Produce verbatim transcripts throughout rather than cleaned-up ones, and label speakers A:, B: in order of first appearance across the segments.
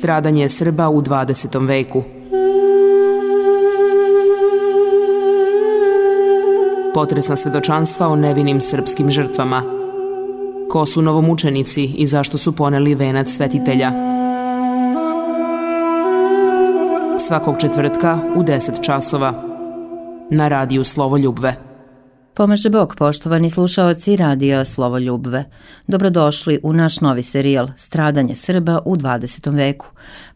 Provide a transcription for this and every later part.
A: Stradanje Srba u dvadesetom veku. Potresna svedočanstva o nevinim srpskim žrtvama. Ko su novomučenici i zašto su poneli venac svetitelja? Svakog četvrtka u deset časova na radiju Slovoljubve.
B: Pomaže Bog, poštovani slušaoci radija Slovoljubve. Dobrodošli u naš novi serijal Stradanje Srba u dvadesetom veku,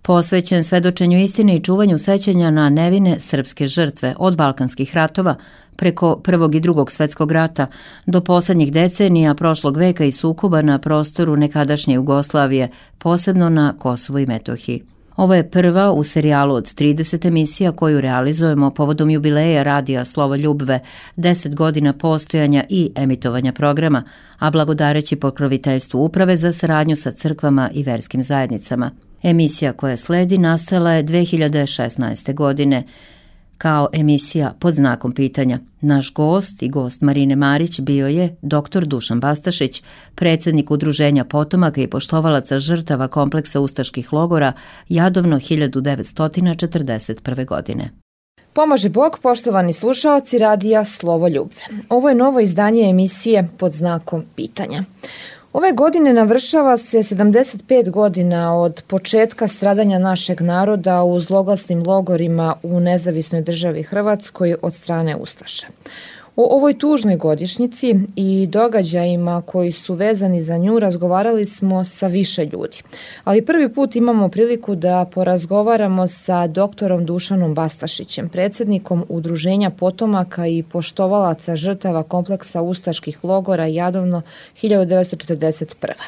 B: posvećen svedočenju istine i čuvanju sećanja na nevine srpske žrtve od balkanskih ratova preko Prvog i Drugog svetskog rata do posljednjih decenija prošlog veka i sukoba na prostoru nekadašnje Jugoslavije, posebno na Kosovu i Metohiji. Ovo je prva u serijalu od trideset emisija koju realizujemo povodom jubileja radija Slovoljubve, deset godina postojanja i emitovanja programa, a blagodareći pokroviteljstvu Uprave za saradnju sa crkvama i verskim zajednicama. Emisija koja sledi nastala je dve hiljade šesnaeste. godine kao emisija pod znakom pitanja. Naš gost i gost Marine Marić bio je doktor Dušan Bastašić, predsjednik Udruženja potomaka i poštovalaca žrtava kompleksa ustaških logora Jadovno hiljadu devetsto četrdeset prve. godine.
C: Pomaže Bog, poštovani slušaoci radija Slovoljubve. Ovo je novo izdanje emisije pod znakom pitanja. Ove godine navršava se sedamdeset pet godina od početka stradanja našeg naroda u zloglasnim logorima u nezavisnoj državi Hrvatskoj od strane ustaša. O ovoj tužnoj godišnjici i događajima koji su vezani za nju razgovarali smo sa više ljudi. Ali prvi put imamo priliku da porazgovaramo sa doktorom Dušanom Bastašićem, predsjednikom Udruženja potomaka i poštovalaca žrtava kompleksa ustaških logora Jadovno hiljadu devetsto četrdeset prve.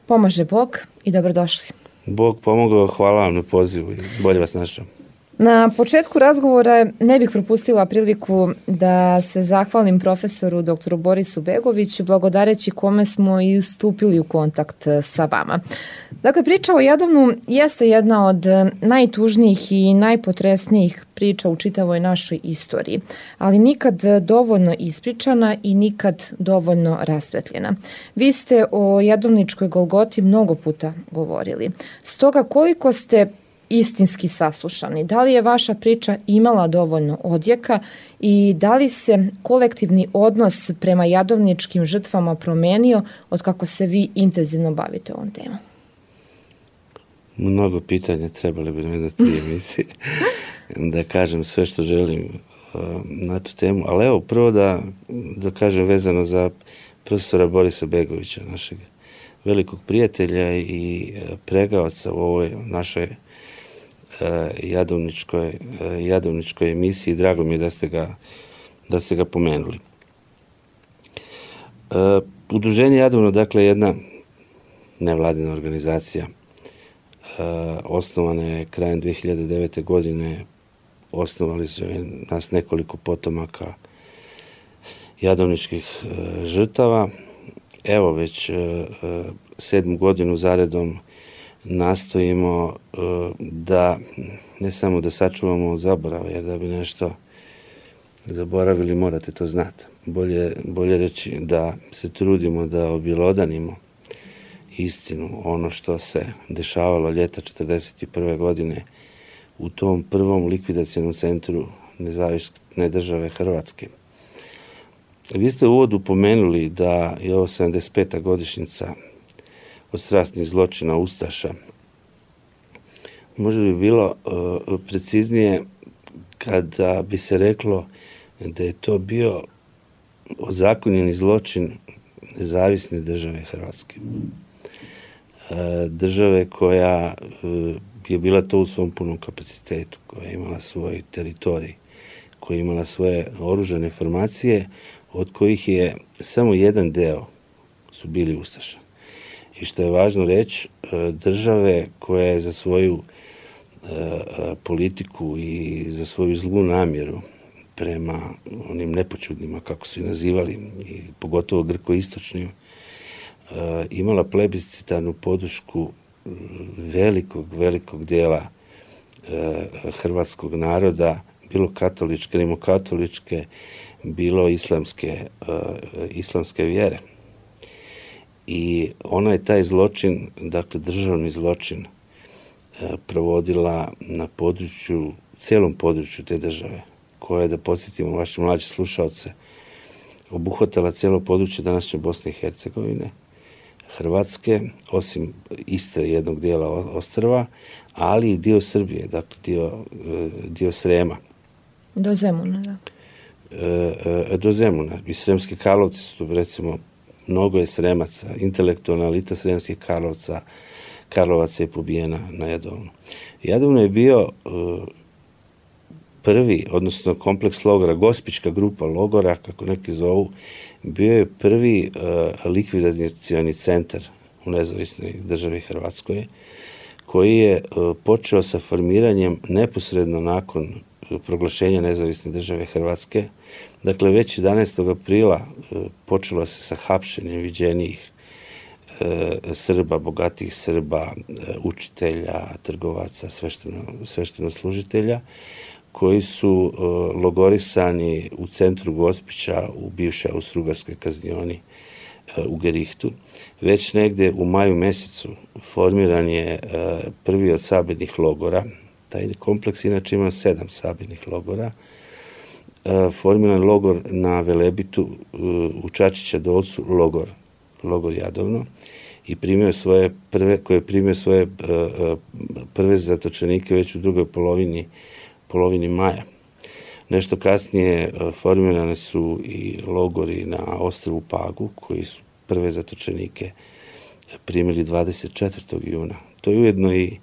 C: Pomaže Bog i dobrodošli.
D: Bog pomogao, hvala vam na pozivu i bolje vas našao.
C: Na početku razgovora ne bih propustila priliku da se zahvalim profesoru doktoru Borisu Begoviću, blagodareći kome smo i stupili u kontakt sa vama. Dakle, priča o Jadovnu jeste jedna od najtužnijih i najpotresnijih priča u čitavoj našoj istoriji, ali nikad dovoljno ispričana i nikad dovoljno rasvetljena. Vi ste o Jadovničkoj Golgoti mnogo puta govorili. Stoga, koliko ste istinski saslušani? Da li je vaša priča imala dovoljno odjeka i da li se kolektivni odnos prema jadovničkim žrtvama promenio od kako se vi intenzivno bavite ovom temom?
D: Mnogo pitanja, trebali bi nam jedno tri emisije da kažem sve što želim uh, na tu temu, ali evo prvo da, da kažem vezano za profesora Borisa Begovića, našeg velikog prijatelja i uh, pregaoca u ovoj našoj Jadovničkoj, Jadovničkoj emisiji. Drago mi je da ste ga, da ste ga pomenuli. Udruženje Jadovno, dakle, jedna nevladina organizacija. Osnovana je krajem dve hiljade devete. godine. Osnovali su nas nekoliko potomaka jadovničkih žrtava. Evo već sedmu godinu zaredom nastojimo da ne samo da sačuvamo zaborava, jer da bi nešto zaboravili morate to znati. Bolje, bolje reći da se trudimo da objelodanimo istinu, ono što se dešavalo ljeta četrdeset prve. godine u tom prvom likvidacionom centru nezavisne države Hrvatske. Vi ste u uvodu pomenuli da je ovo sedamdeset peta. godišnjica od strašnih zločina ustaša. Možda bi bilo uh, preciznije kada bi se reklo da je to bio ozakonjeni zločin nezavisne države Hrvatske. Uh, države koja uh, je bila to u svom punom kapacitetu, koja je imala svoj teritorij, koja je imala svoje oružane formacije, od kojih je samo jedan deo su bili ustaša. I što je važno reći, države koja je za svoju politiku i za svoju zlu namjeru prema onim nepočudnima, kako su ih nazivali, i pogotovo grko-istočnim, imala plebiscitarnu podršku velikog, velikog dijela hrvatskog naroda, bilo katoličke, rimokatoličke, bilo islamske, islamske vjere. I ona je taj zločin, dakle državni zločin, provodila na području, cijelom području te države, koja je, da podsjetimo vaše mlađe slušalce, obuhvatala cijelo područje današnje Bosne i Hercegovine, Hrvatske, osim Istre, jednog dijela ostrva, ali i dio Srbije, dakle dio, dio Srema.
C: Do Zemuna, da.
D: E, do Zemuna. I Sremski Karlovci su tu, recimo, mnogo je Sremaca, intelektualna elita Sremskih Karlovca, Karlovaca je pobijena na Jadovnu. Jadovno je bio uh, prvi, odnosno kompleks logora, gospićka grupa logora, kako neki zovu, bio je prvi uh, likvidacioni centar u nezavisnoj državi Hrvatskoj, koji je uh, počeo sa formiranjem neposredno nakon proglašenja nezavisne države Hrvatske. Dakle, već jedanaestog aprila uh, počelo se sa hapšenjem viđenijih Srba, bogatih Srba, učitelja, trgovaca, svešteno, sveštenoslужitelja, koji su logorisani u centru Gospića u bivšoj Austrougarskoj kaznioni u Gerihtu. Već negde u maju mesecu formiran je prvi od sabirnih logora. Taj kompleks inače ima sedam sabirnih logora. Formiran logor na Velebitu u Čačića Dolcu, logor logor Jadovno, i primio svoje prve, koje je primio svoje uh, prve zatočenike već u drugoj polovini, polovini maja. Nešto kasnije uh, formirane su i logori na ostrvu Pagu, koji su prve zatočenike primili dvadeset četvrtog juna. To je ujedno i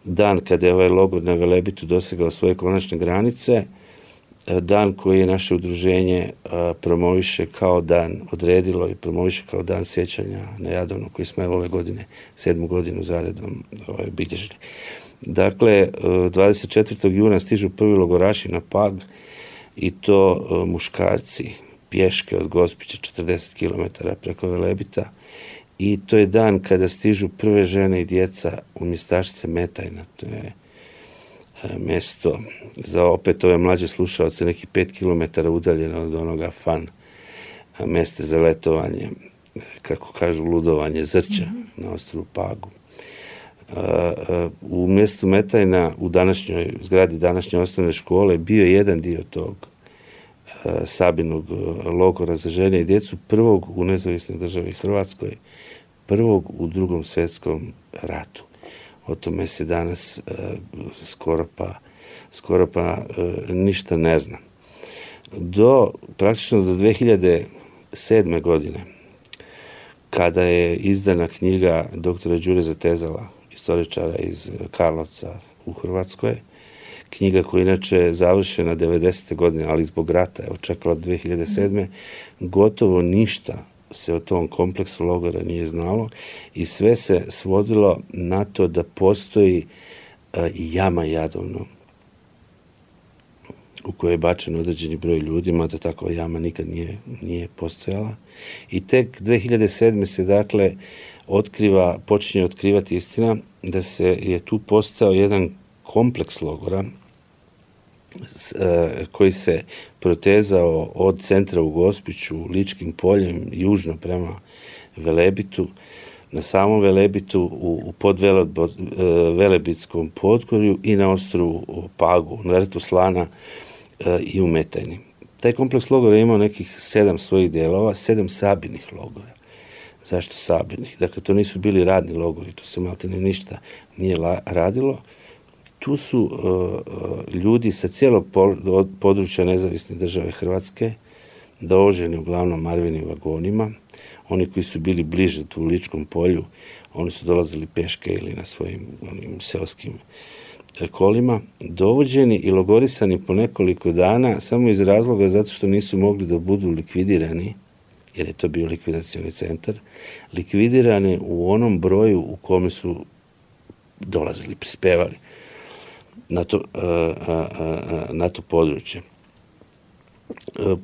D: dan kada je ovaj logor na Velebitu dosegao svoje konačne granice, dan koji je naše udruženje promoviše kao dan, odredilo i promoviše kao dan sjećanja na Jadovno, koji smo ove godine, sedmu godinu zaredom obilježili. Dakle, dvadeset četvrtog juna stižu prvi logoraši na Pag, i to muškarci, pješke od Gospića četrdeset kilometara preko Velebita, i to je dan kada stižu prve žene i djeca u mjestačice Metajna. To je mjesto za opet ove mlađe slušalce, neki pet kilometara udaljeno od onoga Fan, mjeste za letovanje, kako kažu, ludovanje, Zrća, mm-hmm. na ostrvu Pagu. U mjestu Metajna, u današnjoj zgradi današnje osnovne škole, bio je jedan dio tog sabirnog logora za žene i djecu, prvog u nezavisnoj državi Hrvatskoj, prvog u Drugom svjetskom ratu. O tome se danas uh, skoro pa, skoro pa uh, ništa ne zna. Do, praktično do dve hiljade sedme. godine, kada je izdana knjiga doktora Đure Zatezala, istoričara iz Karlovca u Hrvatskoj, knjiga koja inače je završena devedesete. godine, ali zbog rata je očekala do dve hiljade sedme. Gotovo ništa se o tom kompleksu logora nije znalo i sve se svodilo na to da postoji uh, jama Jadovno u kojoj je bačen određeni broj ljudi, mada takva jama nikad nije, nije postojala. I tek dve hiljade sedme. se dakle otkriva, počinje otkrivati istina da se je tu postao jedan kompleks logora s, uh, koji se protezao od centra u Gospiću, Ličkim poljem, južno prema Velebitu, na samom Velebitu, u, u podvelebitskom uh, Velebitskom podgorju i na ostrvu Pagu, na rtu Slana uh, i u Metajni. Taj kompleks logora je imao nekih sedam svojih delova, sedam sabirnih logora. Zašto sabirnih? Dakle, to nisu bili radni logori, tu se maltene ništa nije la, radilo. Tu su uh, ljudi sa cijelog područja nezavisne države Hrvatske, dovoženi uglavnom marvenim vagonima. Oni koji su bili bliže tu u Ličkom polju, oni su dolazili peške ili na svojim onim seoskim kolima, dovođeni i logorisani po nekoliko dana, samo iz razloga zato što nisu mogli da budu likvidirani, jer je to bio likvidacioni centar, likvidirani u onom broju u kome su dolazili, prispevali na to, na to područje.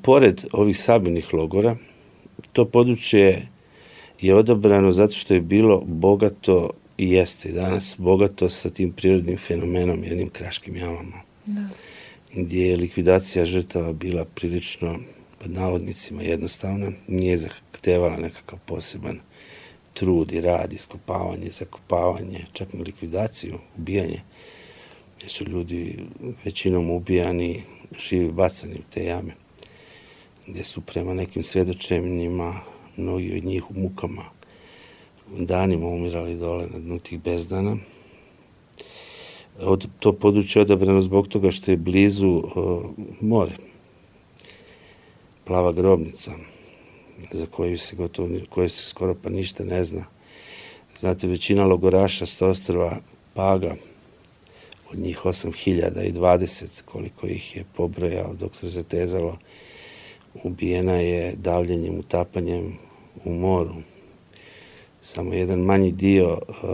D: Pored ovih sabirnih logora, to područje je odabrano zato što je bilo bogato i jeste danas bogato sa tim prirodnim fenomenom, jednim kraškim jamama, da. Gdje je likvidacija žrtava bila prilično, pod navodnicima, jednostavna, nije zahtevala nekakav poseban trud i rad, iskopavanje, zakopavanje, čak i likvidaciju, ubijanje, gdje su ljudi većinom ubijani, živi bacani u te jame, gdje su prema nekim svjedočenjima mnogi od njih u mukama danima umirali dole na dnu tih bezdana. Od, to područje je odabrano zbog toga što je blizu uh, more, Plava grobnica, za koju se gotovo, koje se skoro pa ništa ne zna. Znate, većina logoraša sa ostrva Paga, od njih osam hiljada dvadeset, koliko ih je pobrojao doktor Zatezalo, ubijena je davljenjem, utapanjem u moru. Samo jedan manji dio uh,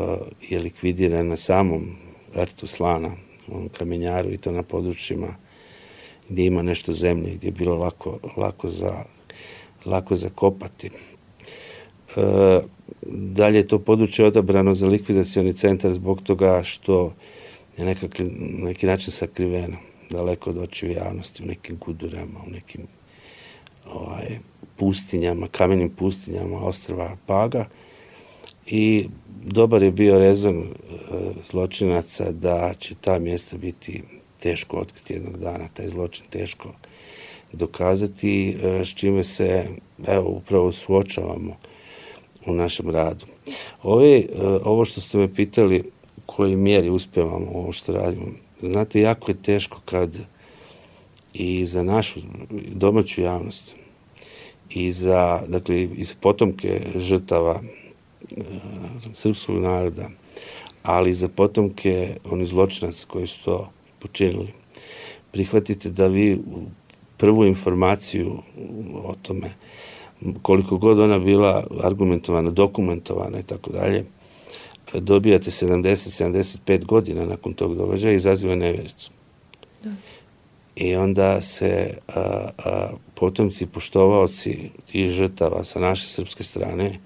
D: je likvidiran na samom rtu slana, u ovom kamenjaru, i to na područjima gdje ima nešto zemlje, gdje je bilo lako, lako, za, lako zakopati. E, dalje je to područje odabrano za likvidacioni centar zbog toga što je nekak, na neki način sakriveno, daleko od očiju javnosti, u nekim gudurama, u nekim ovaj, pustinjama, kamenim pustinjama ostrva Paga. I dobar je bio rezon e, zločinaca da će ta mjesta biti teško otkriti jednog dana, taj zločin teško dokazati, e, s čime se evo, upravo suočavamo u našem radu. Ove, e, ovo što ste me pitali, u kojoj mjeri uspjevamo ovo što radimo, znate, jako je teško kad i za našu domaću javnost i za, dakle, i za potomke žrtava srpskog naroda, ali za potomke onih zločinaca koji su to počinili. Prihvatite da vi prvu informaciju o tome, koliko god ona bila argumentovana, dokumentovana i tako dalje, dobijate sedamdeset do sedamdeset pet godina nakon tog događaja i izaziva nevjericu. Da. I onda se a, a, potomci, poštovaoci tih žrtava sa naše srpske strane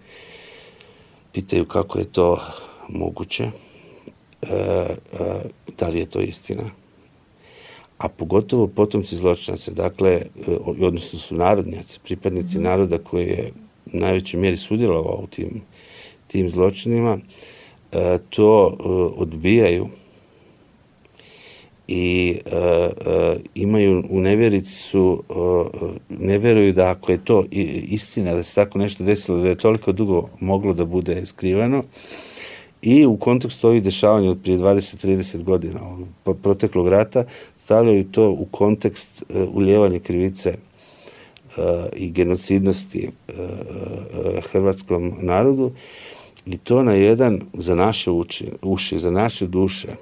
D: pitaju kako je to moguće, e, e, da li je to istina. A pogotovo potomci zločinaca, dakle, odnosno su narodnjaci, pripadnici mm-hmm. naroda koji je u najvećoj mjeri sudjelovao u tim, tim zločinima, e, to e, odbijaju i e, e, imaju u nevjerici su, e, ne vjeruju da ako je to istina, da se tako nešto desilo, da je toliko dugo moglo da bude skriveno, i u kontekstu ovih dešavanja od prije dvadeset do trideset godina proteklog rata stavljaju to u kontekst uh, ulijevanja krivice uh, i genocidnosti uh, uh, hrvatskom narodu, i to na jedan, za naše uči, uši, za naše duše, uh,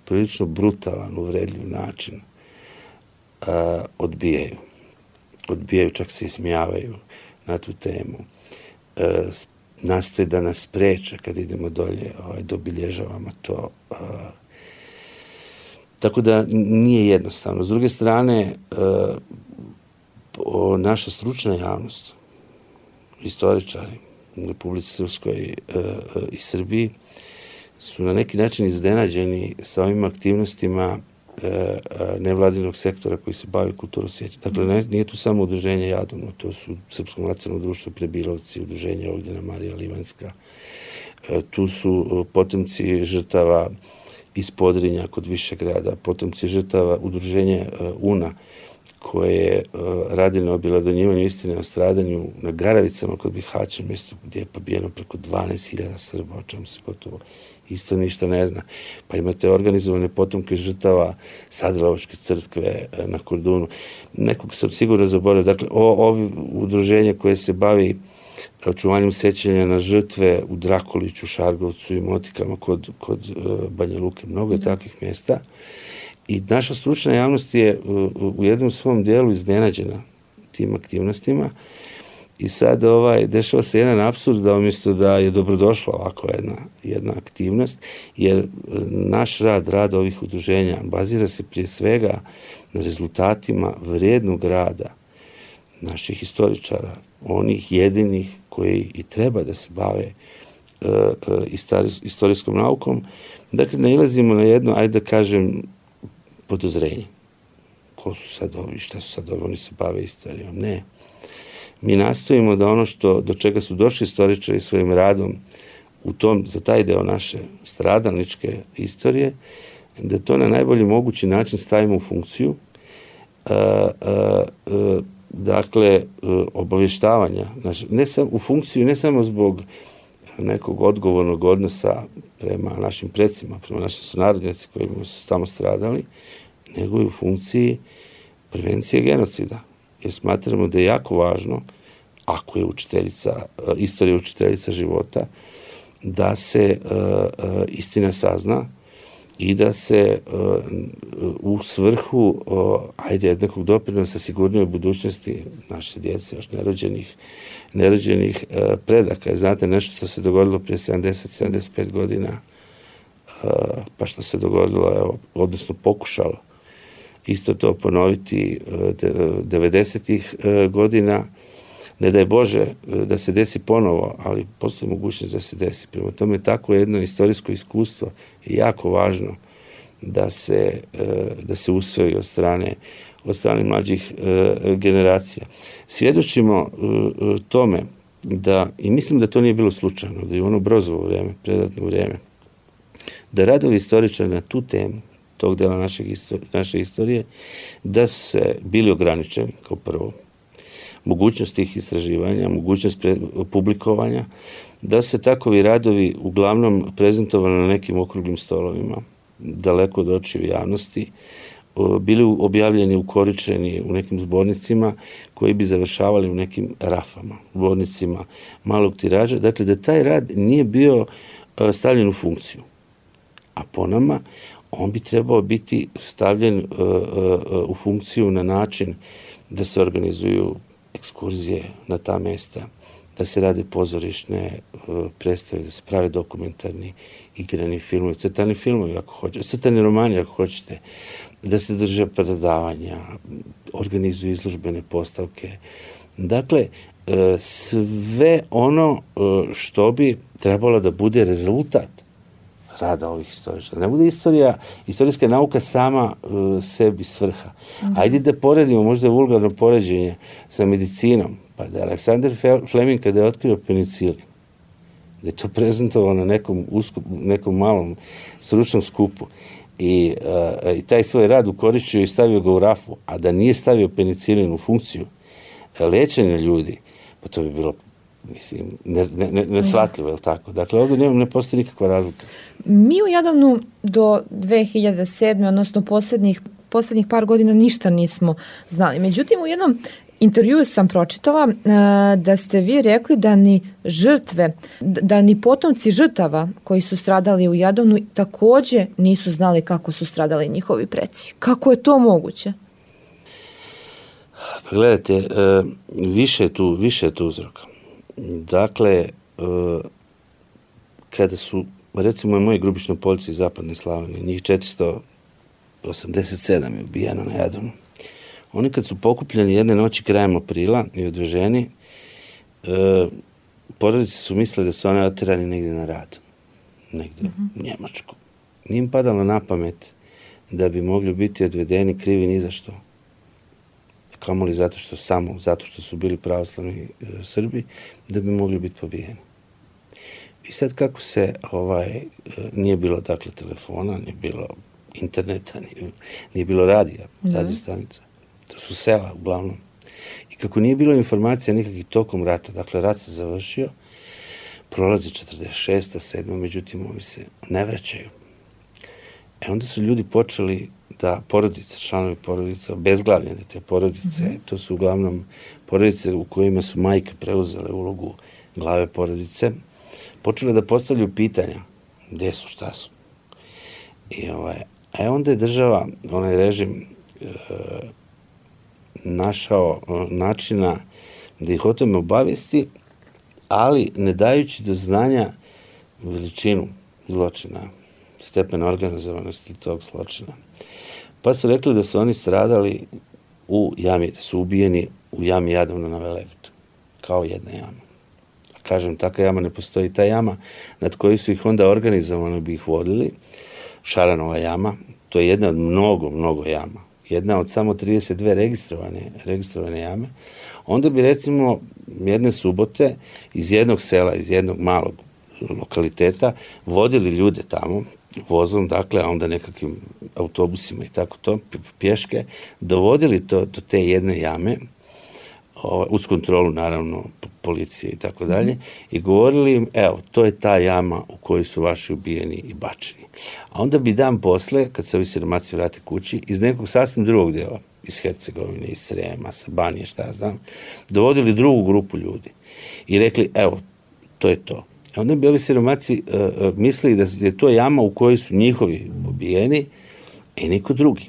D: prilično brutalan, uvredljiv način uh, odbijaju. Odbijaju, čak se ismijavaju na tu temu. Uh, nastoje da nas spreče kad idemo dolje, ovaj, da obilježavamo to. Uh, tako da nije jednostavno. S druge strane, uh, o, naša stručna javnost, istoričari u Republici Srpskoj uh, i Srbiji su na neki način iznenađeni sa ovim aktivnostima nevladinog sektora koji se bavi kulturom sjećanja. Dakle, ne, nije tu samo udruženje Jadovno, to su Srpsko nacionalno društvo Prebilovci, udruženje Ognjena Marija Livanjska, tu su potomci žrtava iz Podrinja kod Višegrada, potomci žrtava udruženje UNA, koje je radi na objelodonjivanju istine o stradanju na Garavicama kod Bihaća, mjesto gdje je pobijeno preko dvanaest hiljada Srba, o čemu se gotovo isto ništa ne zna. Pa imate organizovane potomke žrtava Sadrlovačke crkve na Kordunu. Nekog sam sigurno zaboravio. Dakle, o, ovi udruženje koje se bavi očuvanjem sećanja na žrtve u Drakoliću, Šargovcu i Motikama kod, kod uh, Banja Luke. Mnogo je da. takvih mjesta. I naša stručna javnost je u, u jednom svom dijelu iznenađena tim aktivnostima. I sad ovaj, dešava se jedan apsurd da umjesto da je dobrodošla ovako jedna, jedna aktivnost, jer naš rad, rad ovih udruženja bazira se prije svega na rezultatima vrijednog rada naših historičara, onih jedinih koji i treba da se bave uh, uh, istorijskom naukom. Dakle, nailazimo na jedno, ajde da kažem, podozrenje. Ko su sad ovi, šta su sad ovi, oni se bave istorijom? Ne. mi nastojimo da ono što, do čega su došli istoričari svojim radom u tom, za taj deo naše stradalničke istorije, da to na najbolji mogući način stavimo u funkciju, a, a, a, dakle, obavještavanja, znači, ne sam, u funkciju ne samo zbog nekog odgovornog odnosa prema našim predsima, prema našim sunarodnjaci koji su tamo stradali, nego i u funkciji prevencije genocida. Jer smatramo da je jako važno, ako je učiteljica, istorija učiteljica života, da se uh, uh, istina sazna i da se uh, u svrhu uh, ajde jednakog doprinosa sigurnijoj budućnosti naše djece, još nerođenih, nerođenih uh, predaka. Znate, nešto što se dogodilo prije sedamdeset do sedamdeset pet godina, uh, pa što se dogodilo, evo, odnosno pokušalo isto to ponoviti uh, devedesetih uh, godina, ne daj Bože da se desi ponovo, ali postoji mogućnost da se desi. Prema tome, tako jedno istorijsko iskustvo je jako važno da se, da se usvoji od strane, od strane mlađih generacija. Svjedočimo tome da, i mislim da to nije bilo slučajno, da je ono Brozovo vrijeme, predatno vrijeme, da radovi istoričara na tu temu, tog dela našeg istorije, naše istorije, da su se bili ograničeni, kao prvo, mogućnost tih istraživanja, mogućnost publikovanja, da se takovi radovi uglavnom prezentovali na nekim okruglim stolovima, daleko od očiju javnosti, bili objavljeni, ukoričeni u nekim zbornicima koji bi završavali u nekim rafama, zbornicima malog tiraža. Dakle, da taj rad nije bio stavljen u funkciju. A po nama, on bi trebao biti stavljen u funkciju na način da se organizuju ekskurzije na ta mesta, da se rade pozorišne uh, predstave, da se prave dokumentarni igrani filmovi, crtani filmovi ako hoćete, crtani romani ako hoćete, da se drže predavanja, organizuju izložbene postavke. Dakle, uh, sve ono uh, što bi trebalo da bude rezultat rada ovih istoričara. Ne bude istorija, istorijska nauka sama uh, sebi svrha. Mm-hmm. Ajde da poredimo, možda je vulgarno poređenje sa medicinom, pa da je Aleksandar Fleming kada je otkrio penicilin, da je to prezentovao na nekom, uskup, nekom malom stručnom skupu i, uh, i taj svoj rad ukoričio i stavio ga u rafu, a da nije stavio penicilin u funkciju lečenja ljudi, pa to bi bilo mislim, ne, ne, nesvatljivo, je li tako? Dakle, ovdje ne, ne postoji nikakva razlika.
C: Mi u Jadovnu do dve hiljade sedme, odnosno posljednjih, posljednjih par godina ništa nismo znali. Međutim, u jednom intervjuu sam pročitala uh, da ste vi rekli da ni žrtve, da ni potomci žrtava koji su stradali u Jadovnu također nisu znali kako su stradali njihovi preci. Kako je to moguće?
D: Pa gledajte, uh, više je tu, više je tu uzroka. Dakle, kada su, recimo, moji grubišno poljci iz Zapadne Slavonije, njih četiristo osamdeset sedam je ubijeno na Jadovnu. Oni kad su pokupljeni jedne noći krajem aprila i odveženi, porodice su mislili da su one otirani negdje na rad, negdje mm-hmm. u Njemačku. Nije im padalo na pamet da bi mogli biti odvedeni krivi ni za što. Kamoli zato što samo, zato što su bili pravoslavni e, Srbi, da bi mogli biti pobijeni. I sad kako se, ovaj, e, nije bilo dakle telefona, nije bilo interneta, nije, nije bilo radija, radio stanica. To su sela uglavnom. I kako nije bilo informacija nikakvih tokom rata, dakle rat se završio, prolazi četrdeset šesta, sedma, međutim ovi se ne vraćaju. E onda su ljudi počeli da porodice, članovi porodica, obezglavljene te porodice, mm-hmm. to su uglavnom porodice u kojima su majke preuzele ulogu glave porodice, počele da postavljaju pitanja gdje su, šta su. I ovaj, a onda je država, onaj režim, e, našao e, načina da ih o tome obavijesti, ali ne dajući do znanja veličinu zločina, stepen organizovanosti tog zločina. Pa su rekli da su oni stradali u jami, da su ubijeni u jami Jadovna na Velebit, kao jedna jama. A kažem, taka jama ne postoji. Ta jama nad koju su ih onda organizovano bi ih vodili, Šaranova jama, to je jedna od mnogo, mnogo jama jedna od samo trideset dve registrovane, registrovane jame, onda bi recimo jedne subote iz jednog sela, iz jednog malog lokaliteta vodili ljude tamo, vozom, dakle, a onda nekakvim autobusima i tako to, pješke, dovodili to do te jedne jame, uz kontrolu, naravno, policije i tako dalje, i govorili im, evo, to je ta jama u kojoj su vaši ubijeni i bačeni. A onda bi dan posle, kad se ovi siromaci vrate kući, iz nekog sasvim drugog dela, iz Hercegovine, iz Srema, sa Banije, šta ja znam, dovodili drugu grupu ljudi i rekli, evo, to je to. A onda bi ovi siromaci uh, uh, mislili da je to jama u kojoj su njihovi ubijeni i niko drugi.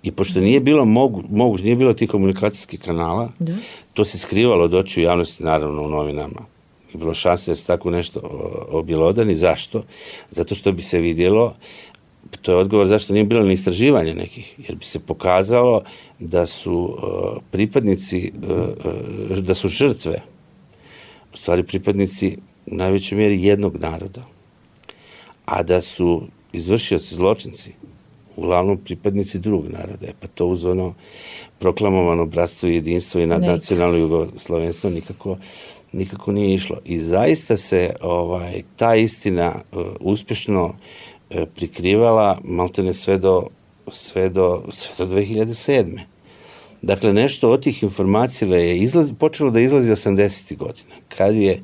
D: I pošto nije bilo mogu, moguće, nije bilo tih komunikacijskih kanala, da. To se skrivalo od očiju javnosti, naravno, u novinama. I bilo šanse da se tako nešto objelodani. Zašto? Zato što bi se vidjelo, to je odgovor zašto nije bilo ni istraživanja nekih, jer bi se pokazalo da su uh, pripadnici, uh, da su žrtve, u stvari pripadnici u najvećoj mjeri jednog naroda, a da su izvršioci, zločinci, uglavnom pripadnici drugog naroda. E pa to uz ono proklamovano bratstvo i jedinstvo i nadnacionalno jugoslovenstvo nikako, nikako nije išlo. I zaista se ovaj, ta istina uh, uspješno uh, prikrivala maltene sve do, sve do, sve do dve hiljade sedme. Dakle, nešto od tih informacija je izlazi, počelo da izlazi osamdesetih godina, kad je,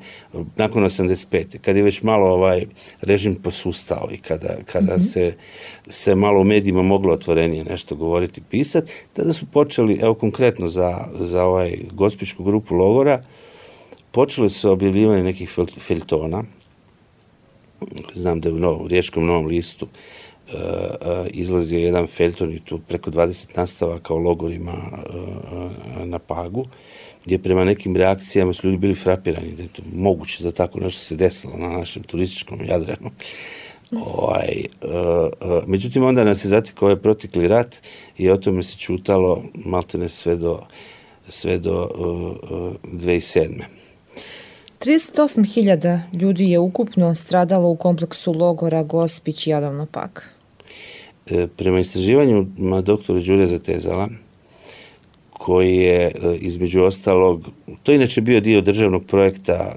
D: nakon osamdeset pete kad je već malo ovaj režim posustao i kada, kada mm-hmm. se, se malo u medijima moglo otvorenije nešto govoriti, pisati, tada su počeli, evo konkretno za, za ovaj gospićku grupu logora, počeli su objavljivanje nekih feljtona. Znam da je u, novom, u Riječkom Novom listu Uh, uh, izlazio jedan feljton i tu preko dvadeset nastavaka o logorima uh, na Pagu, gdje prema nekim reakcijama su ljudi bili frapirani da je to moguće da tako nešto se desilo na našem turističkom Jadranu. Mm. Ovaj, uh, uh, međutim, onda nas je zatekao ovaj protekli rat i o tome se čutalo maltene sve do, sve do uh, uh, dve hiljade sedme.
C: trideset osam hiljada ljudi je ukupno stradalo u kompleksu logora Gospić i Jadovno Pag.
D: E, prema istraživanjima doktora Đure Zatezala, koji je između ostalog, to je inače bio dio državnog projekta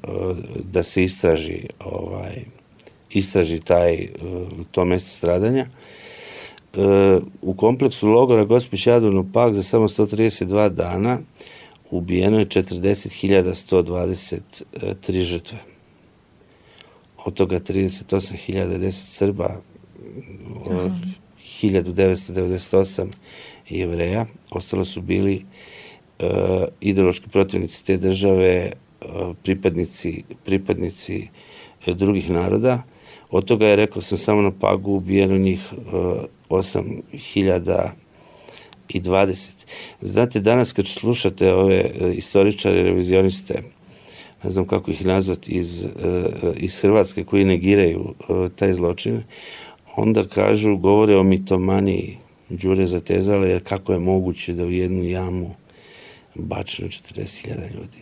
D: da se istraži, ovaj, istraži taj, to mjesto stradanja, u kompleksu logora Gospić i Jadovno Pag za samo sto trideset dva dana ubijeno je četrdeset hiljada sto dvadeset tri žrtve. Od toga trideset osam hiljada deset Srba, uh-huh. hiljadu devetsto devedeset osam Jevreja. Ostalo su bili uh, ideološki protivnici te države, uh, pripadnici, pripadnici uh, drugih naroda. Od toga je, rekao sam, samo na Pagu ubijeno njih uh, osam hiljada dvadeset. Znate, danas kad slušate ove istoričare, revizioniste, ne znam kako ih nazvati, iz, iz Hrvatske koji negiraju taj zločin, onda kažu, govore o mitomaniji Đure Zatezala, jer kako je moguće da u jednu jamu bačeno četrdeset hiljada ljudi.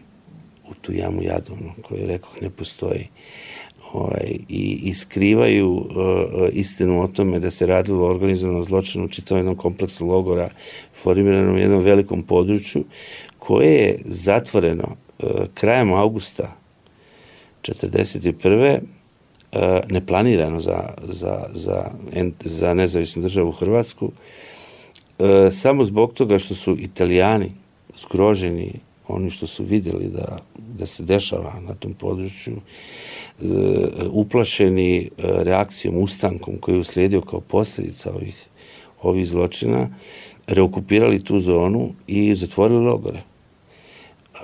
D: U tu jamu Jadovnu, koju, rekao, ne postoji. Ovaj, i, i skrivaju uh, istinu o tome da se radilo o organizovanom zločinu u čitavom jednom kompleksu logora formiranom u jednom velikom području koje je zatvoreno uh, krajem augusta četrdeset prve Uh, neplanirano za, za, za, za nezavisnu državu Hrvatsku, uh, samo zbog toga što su Italijani zgroženi oni što su vidjeli da, da se dešava na tom području, uplašeni reakcijom, ustankom koji je uslijedio kao posljedica ovih, ovih zločina, reokupirali tu zonu i zatvorili logore.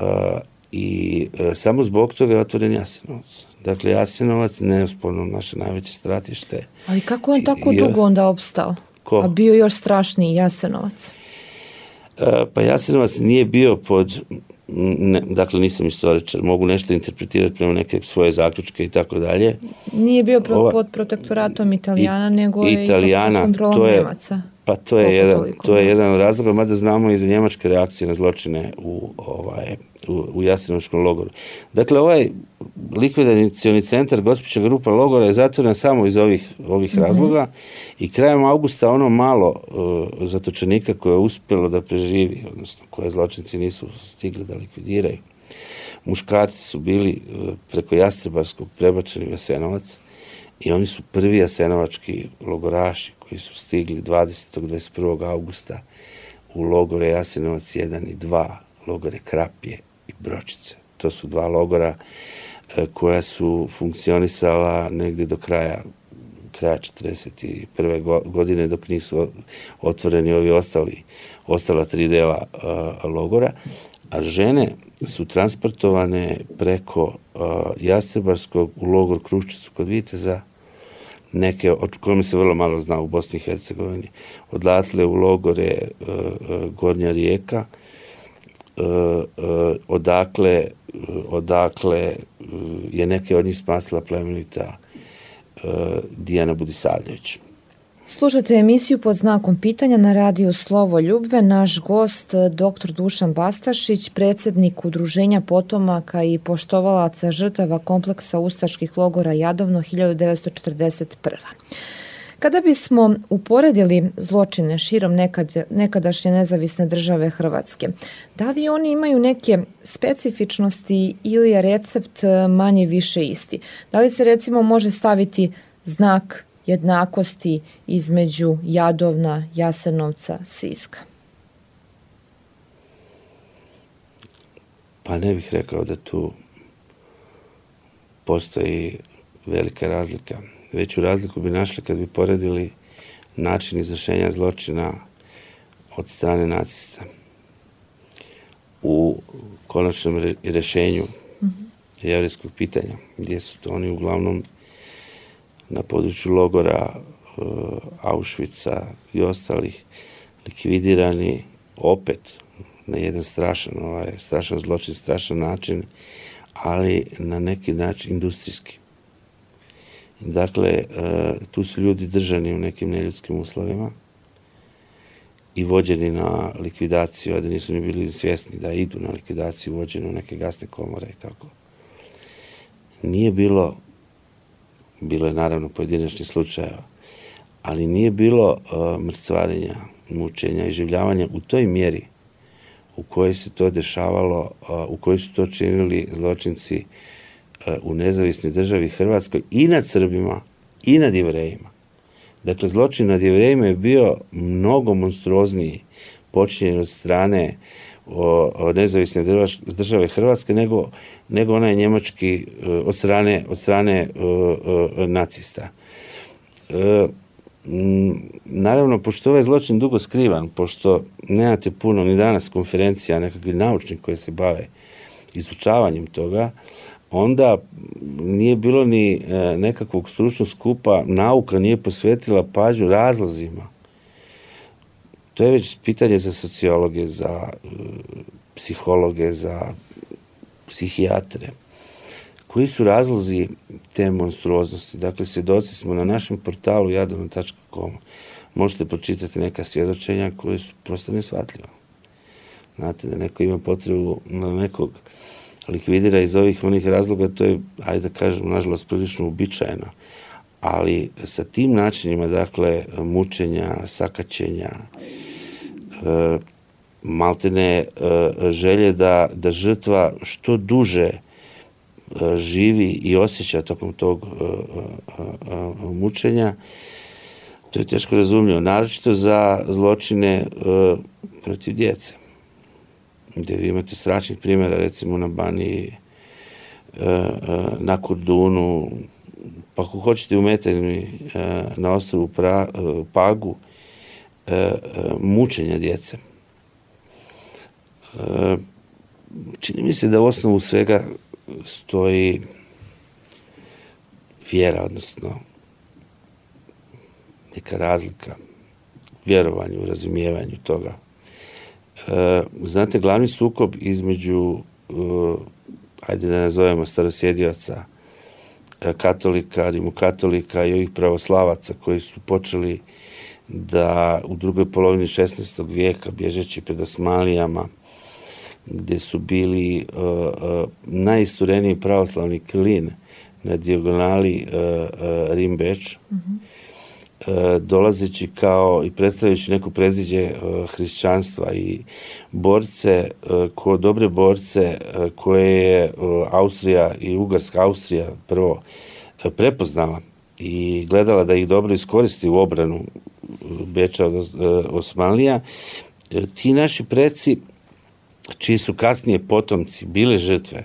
D: A, I a, samo zbog toga je otvoren Jasenovac. Dakle, Jasenovac neosporno naše najveće stratište.
C: Ali kako je on tako I, dugo onda opstao? Ko? A bio još strašniji Jasenovac?
D: A, pa Jasenovac nije bio pod... Ne, dakle, nisam istoričar, mogu nešto interpretirati prema neke svoje zaključke i tako dalje.
C: Nije bio pro, Ova, pod protektoratom Italijana, nego je Italijana, pod kontrolom
D: to je,
C: Nemaca.
D: Pa to je, jedan, toliko, to je jedan od razloga, mada znamo i za njemačke reakcije na zločine u, ovaj, u, u Jasenovačkom logoru. Dakle, ovaj likvidacioni centar Gospića grupa logora je zatvoren samo iz ovih, ovih mm-hmm. razloga i krajem augusta ono malo uh, zatočenika koje je uspjelo da preživi, odnosno koje zločinci nisu stigli da likvidiraju. Muškarci su bili uh, preko Jastrebarskog prebačeni u Jasenovac i oni su prvi jasenovački logoraši koji su stigli dvadesetog do dvadeset prvog augusta u logore Jasenovac jedan i dva, logore Krapje i Bročice. To su dva logora e, koja su funkcionisala negdje do kraja kraja četrdeset prve godine dok nisu otvoreni ovi ostali, ostala tri dela e, logora, a žene su transportovane preko uh, Jastrebarskog u logor Kruščicu kod Viteza, neke, o kojima se vrlo malo zna u Bosni i Hercegovini, odatle u logore uh, uh, Gornja Rijeka, uh, uh, odakle, uh, odakle uh, je neke od njih spasila plemenita uh, Dijana Budisavljević.
C: Slušate emisiju pod znakom pitanja na radiju Slovo Ljubve. Naš gost, doktor Dušan Bastašić, predsjednik Udruženja potomaka i poštovalaca žrtava kompleksa ustaških logora Jadovno hiljadu devetsto četrdeset prva. Kada bismo uporedili zločine širom nekad, nekadašnje nezavisne države Hrvatske, da li oni imaju neke specifičnosti ili je recept manje više isti? Da li se recimo može staviti znak jednakosti između Jadovna, Jasenovca, Siska?
D: Pa ne bih rekao da tu postoji velika razlika. Veću razliku bi našli kad bi poredili način izvršenja zločina od strane nacista. U konačnom re- rješenju mm-hmm. jevrejskog pitanja, gdje su to oni uglavnom na području logora uh, Auschwitza i ostalih likvidirani opet na jedan strašan, ovaj, strašan zločin, strašan način, ali na neki način industrijski. Dakle, uh, tu su ljudi držani u nekim neljudskim uslovima i vođeni na likvidaciju, a da nisu ni bili svjesni da idu na likvidaciju, vođeni u neke gasne komore i tako. Nije bilo Bilo je naravno pojedinačnih slučajeva, ali nije bilo uh, mrcvarenja, mučenja i življavanja u toj mjeri u kojoj se to dešavalo, uh, u kojoj su to činili zločinci uh, u nezavisnoj državi Hrvatskoj i nad Srbima i nad Jevrejima. Dakle, zločin nad Jevrejima je bio mnogo monstruozniji počinjen od strane o, o nezavisne države Hrvatske nego, nego onaj njemački od strane, od strane o, o, nacista. E, m, naravno, pošto ovaj zločin dugo skrivan, pošto nemate puno ni danas konferencija, nekakvi naučnik koji se bave izučavanjem toga, onda nije bilo ni e, nekakvog stručnog skupa, nauka nije posvetila pažnju razlozima. To je već pitanje za sociologe, za e, psihologe, za psihijatre. Koji su razlozi te monstruoznosti? Dakle, svjedoci smo na našem portalu jadovno tačka com. Možete pročitati neka svjedočenja koje su prosto neshvatljiva. Znate, da neko ima potrebu na nekog likvidira iz ovih onih razloga, to je, ajde da kažem, nažalost, prilično uobičajeno. Ali sa tim načinima, dakle, mučenja, sakaćenja, e, maltene e, želje da, da žrtva što duže e, živi i osjeća tokom tog e, e, e, mučenja, to je teško razumljivo, naročito za zločine e, protiv djece. Gdje vi imate strašnih primjera, recimo na Baniji, na Kordunu, pa ako hoćete u Metaniji, na ostrovu Pagu, mučenja djece. Čini mi se da u osnovu svega stoji vjera, odnosno neka razlika u vjerovanju, u razumijevanju toga. Znate, glavni sukob između, ajde da nazovemo starosjedioca, katolika, rimokatolika i ovih pravoslavaca koji su počeli da u drugoj polovini šesnaestog vijeka, bježeći pred Osmanlijama, gdje su bili uh, uh, najistureniji pravoslavni klin na dijagonali uh, uh, Rim-Beč, mm-hmm. uh, dolazeći kao i predstavljajući neko preziđe uh, hrišćanstva i borce, uh, ko, dobre borce uh, koje je uh, Austrija i Ugarska Austrija prvo uh, prepoznala i gledala da ih dobro iskoristi u obranu Beča od uh, Osmanlija. Uh, ti naši preci, čiji su kasnije potomci bile žrtve,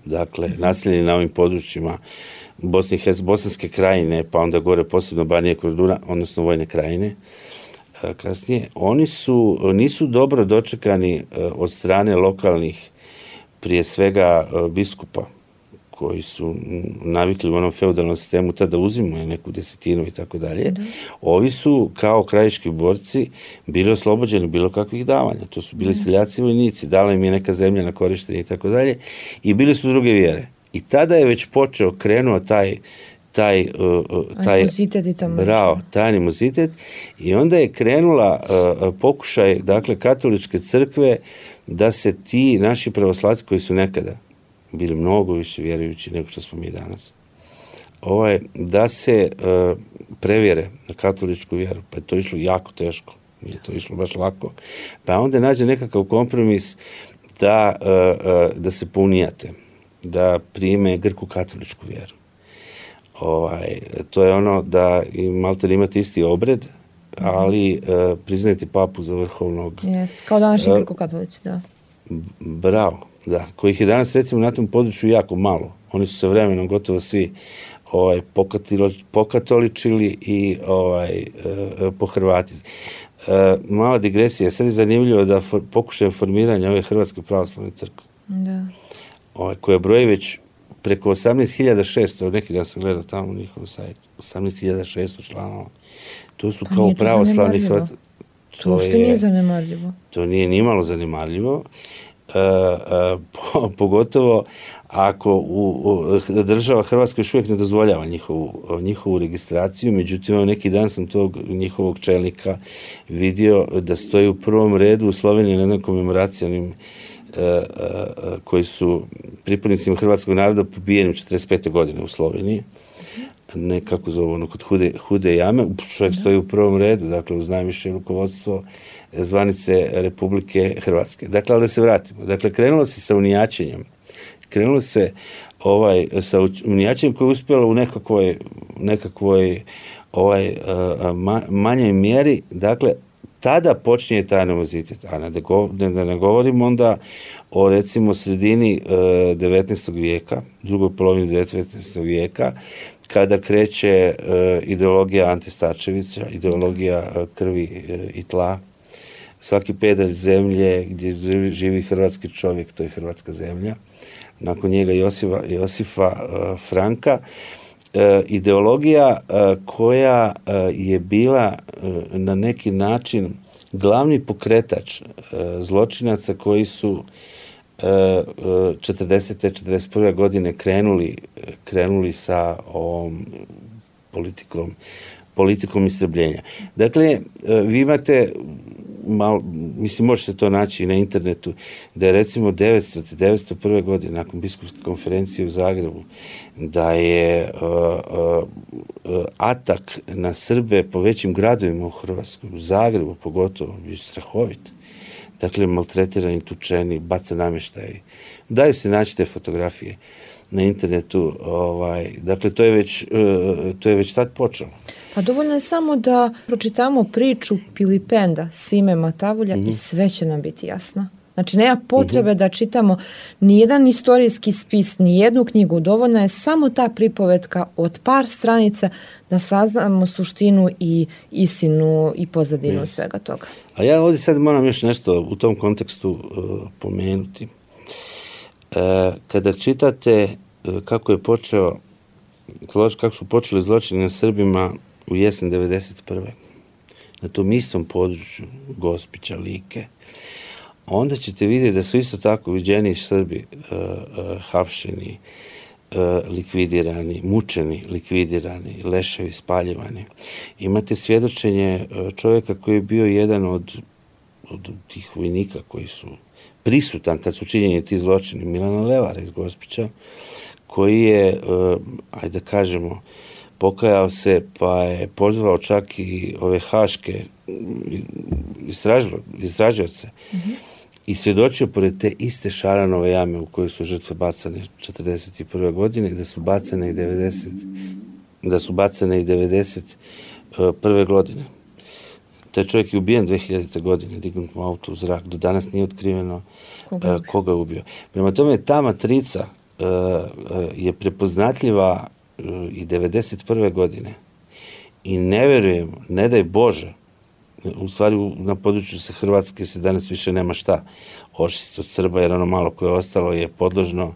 D: dakle, naseljeni na ovim područjima Bosne i Hercegovine, Bosanske krajine, pa onda gore posebno Banije Korduna, odnosno Vojne krajine, kasnije, oni su, nisu dobro dočekani od strane lokalnih, prije svega biskupa, koji su navikli u onom feudalnom sistemu tada uzimaju neku desetinu i tako dalje. Ovi su, kao krajiški borci, bili oslobođeni bilo kakvih davanja. To su bili seljaci vojnici, dala im je neka zemlja na korištenje i tako dalje. I bili su druge vjere. I tada je već počeo, krenuo taj taj, uh, taj
C: animozitet i tamo.
D: Bravo, taj animozitet. I onda je krenula uh, pokušaj, dakle, katoličke crkve da se ti naši pravoslavci koji su nekada bili mnogo više vjerujući nego što smo mi danas, ovaj, da se uh, prevjere na katoličku vjeru. Pa je to išlo jako teško. Nije to išlo baš lako. Pa onda nađe nekakav kompromis da, uh, uh, da se pounijate, da prime grku katoličku vjeru. Ovaj, to je ono da maltene imate isti obred, ali uh, priznajete papu za vrhovnog.
C: Yes, kao današnji uh, grko-katolici, da.
D: Bravo, da. Kojih je danas recimo na tom području jako malo. Oni su se vremenom gotovo svi ovaj, pokatoličili i ovaj, uh, pohrvatili. Uh, mala digresija, sad je zanimljivo da for, pokušajem formiranja ove Hrvatske pravoslavne crkve.
C: Da.
D: Ovaj, koja broji već preko osamnaest hiljada šesto, neki dan sam gledao tamo u njihovom sajtu, osamnaest hiljada šesto članova. To su pa kao pravoslavni Hrvatski.
C: To uopšte nije zanemarljivo.
D: To nije nimalo zanemarljivo. Uh, uh, po, pogotovo ako u, u, država Hrvatska još uvijek ne dozvoljava njihovu, njihovu registraciju, međutim, neki dan sam tog njihovog čelnika vidio da stoji u prvom redu u Sloveniji na jednom komemoracijalnim Uh, uh, koji su pripadnicima hrvatskog naroda pobijeni u četrdeset pete godine u Sloveniji. Ne kako zove ono, kod hude, hude jame. Čovjek stoji u prvom redu, dakle, uz najviše rukovodstvo zvanice Republike Hrvatske. Dakle, ali da se vratimo. Dakle, krenulo se sa unijačenjem. Krenulo se ovaj, sa unijačenjem koje je uspjelo u nekakvoj, nekakvoj ovaj, uh, ma, manjoj mjeri. Dakle, tada počinje taj animozitet, a ne da, go, ne, da ne govorim onda o recimo sredini e, devetnaestog vijeka, drugoj polovini devetnaestog vijeka, kada kreće e, ideologija Ante Starčevića, ideologija e, krvi e, i tla. Svaki pedalj zemlje gdje živi hrvatski čovjek, to je hrvatska zemlja. Nakon njega Josifa, Josifa e, Franka. E, ideologija e, koja e, je bila e, na neki način glavni pokretač e, zločinaca koji su e, četrdesete četrdeset prve godine krenuli, krenuli sa ovom politikom, politikom istrebljenja. Dakle, e, vi imate, malo, mislim, može se to naći i na internetu, da je recimo devetstote devetsto prve godine, nakon biskupske konferencije u Zagrebu, da je uh, uh, atak na Srbe po većim gradovima u Hrvatskoj, u Zagrebu pogotovo, bio strahovit. Dakle, maltretirani, tučeni, baca namještaj. Daju se naći te fotografije na internetu. Ovaj, dakle, to je već, uh, to je već tad počelo.
C: Pa dovoljno je samo da pročitamo priču Pilipenda Sime Matavulja mm-hmm. i sve će nam biti jasno. Znači, nema potrebe mm-hmm. da čitamo nijedan istorijski spis, nijednu knjigu. Dovoljna je samo ta pripovetka od par stranica da saznamo suštinu i istinu i pozadinu yes. svega toga.
D: A ja ovdje sad moram još nešto u tom kontekstu uh, pomenuti. Uh, kada čitate uh, kako je počeo, kako su počeli zločini na Srbima u jesen devedeset prve na tom istom području Gospića, Like, onda ćete vidjeti da su isto tako viđeni Srbi uh, uh, hapšeni, likvidirani, mučeni, likvidirani, leševi spaljivani. Imate svjedočenje čovjeka koji je bio jedan od, od tih vojnika koji su prisutan kad su činjeni ti zločini, Milana Levara iz Gospića, koji je, ajde da kažemo, pokajao se pa je pozvao čak i ove haške istražioce mm-hmm. i svjedočio pored te iste Šaranove jame u kojoj su žrtve bacane četrdeset prve godine, da su bacane i devedeset da su bacane i devedeset prve godine. Taj čovjek je ubijen dve hiljadite godine, dignut mu auto u zrak. Do danas nije otkriveno koga, uh, koga je ubio. Prema tome, ta matrica uh, uh, je prepoznatljiva uh, i devedeset prve godine. I ne verujem, ne daj Bože, u stvari na području se Hrvatske se danas više nema šta očistiti od Srba, jer ono malo koje je ostalo je podložno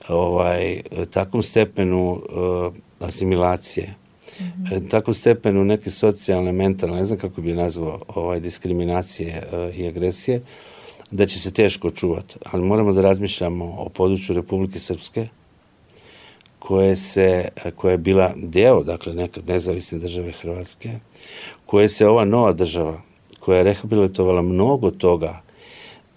D: ovaj, takvom stepenu uh, asimilacije, mm-hmm. takvom stepenu neke socijalne, mentalne, ne znam kako bi nazvao, ovaj, diskriminacije uh, i agresije, da će se teško čuvati. Ali moramo da razmišljamo o području Republike Srpske, koje se, koja je bila deo, dakle, nekad nezavisne države Hrvatske, koje se ova nova država, koja je rehabilitovala mnogo toga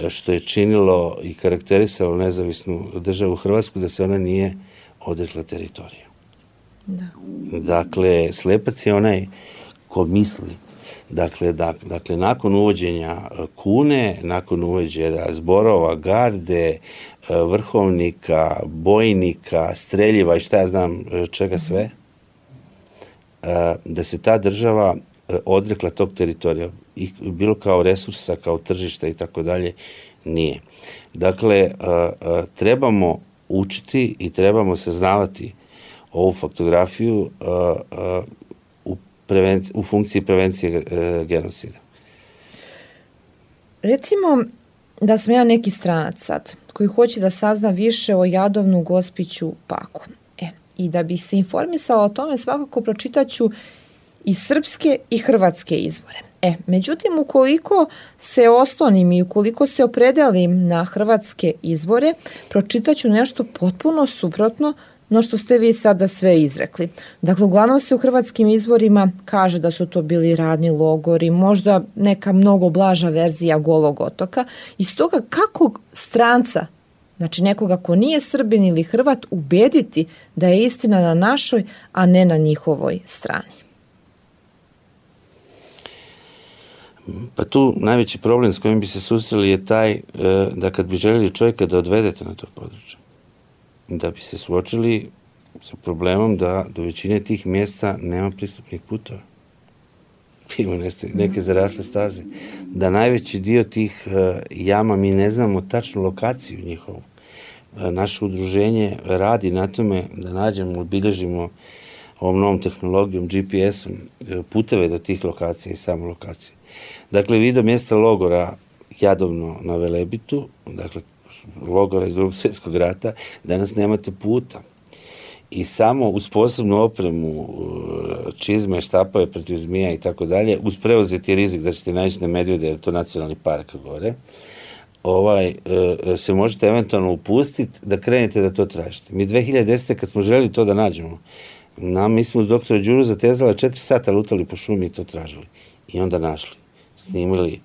D: što je činilo i karakterisalo nezavisnu državu Hrvatsku, da se ona nije odrekla teritoriju. Da. Dakle, slepac je onaj ko misli. Dakle, dak, dakle, nakon uvođenja kune, nakon uvođenja zborova, garde, vrhovnika, bojnika, streljiva i šta ja znam čega sve, da se ta država odrekla tog teritorija, i bilo kao resursa, kao tržišta i tako dalje, nije. Dakle, trebamo učiti i trebamo saznavati ovu faktografiju u, prevenci, u funkciji prevencije genocida.
C: Recimo da sam ja neki stranac sad, koji hoće da sazna više o Jadovnu, Gospiću, Paku. E, i da bih se informisala o tome, svakako pročitaću i srpske i hrvatske izvore. E, međutim, ukoliko se oslonim i ukoliko se opredelim na hrvatske izvore, pročitaću nešto potpuno suprotno no što ste vi sada sve izrekli. Dakle, uglavnom se u hrvatskim izvorima kaže da su to bili radni logori, možda neka mnogo blaža verzija Golog otoka. I stoga kako stranca, znači nekoga ko nije Srbin ili Hrvat, ubediti da je istina na našoj, a ne na njihovoj strani?
D: Pa tu najveći problem s kojim bi se susreli je taj da kad bi željeli čovjeka da odvedete na to područje, da bi se suočili sa problemom da do većine tih mjesta nema pristupnih putova. Ima neke zarasle staze. Da najveći dio tih jama, mi ne znamo tačnu lokaciju njihovu. Naše udruženje radi na tome da nađemo, obilježimo ovom novom tehnologijom, G P S-om, puteve do tih lokacija i samo lokacije. Dakle, vi do mjesta logora Jadovno na Velebitu, dakle, logora iz drugog svjetskog rata, danas nemate puta. I samo uz posebnu opremu, čizme, štapove protiv zmija i tako dalje, uz preuzeti rizik da ćete naći na medvjede, jer je to nacionalni park gore, ovaj, se možete eventualno upustiti da krenete da to tražite. Mi dve hiljade desete kad smo željeli to da nađemo, nam, mi smo uz doktora Đuru zatezala četiri sata lutali po šumi i to tražili. I onda našli. Snimili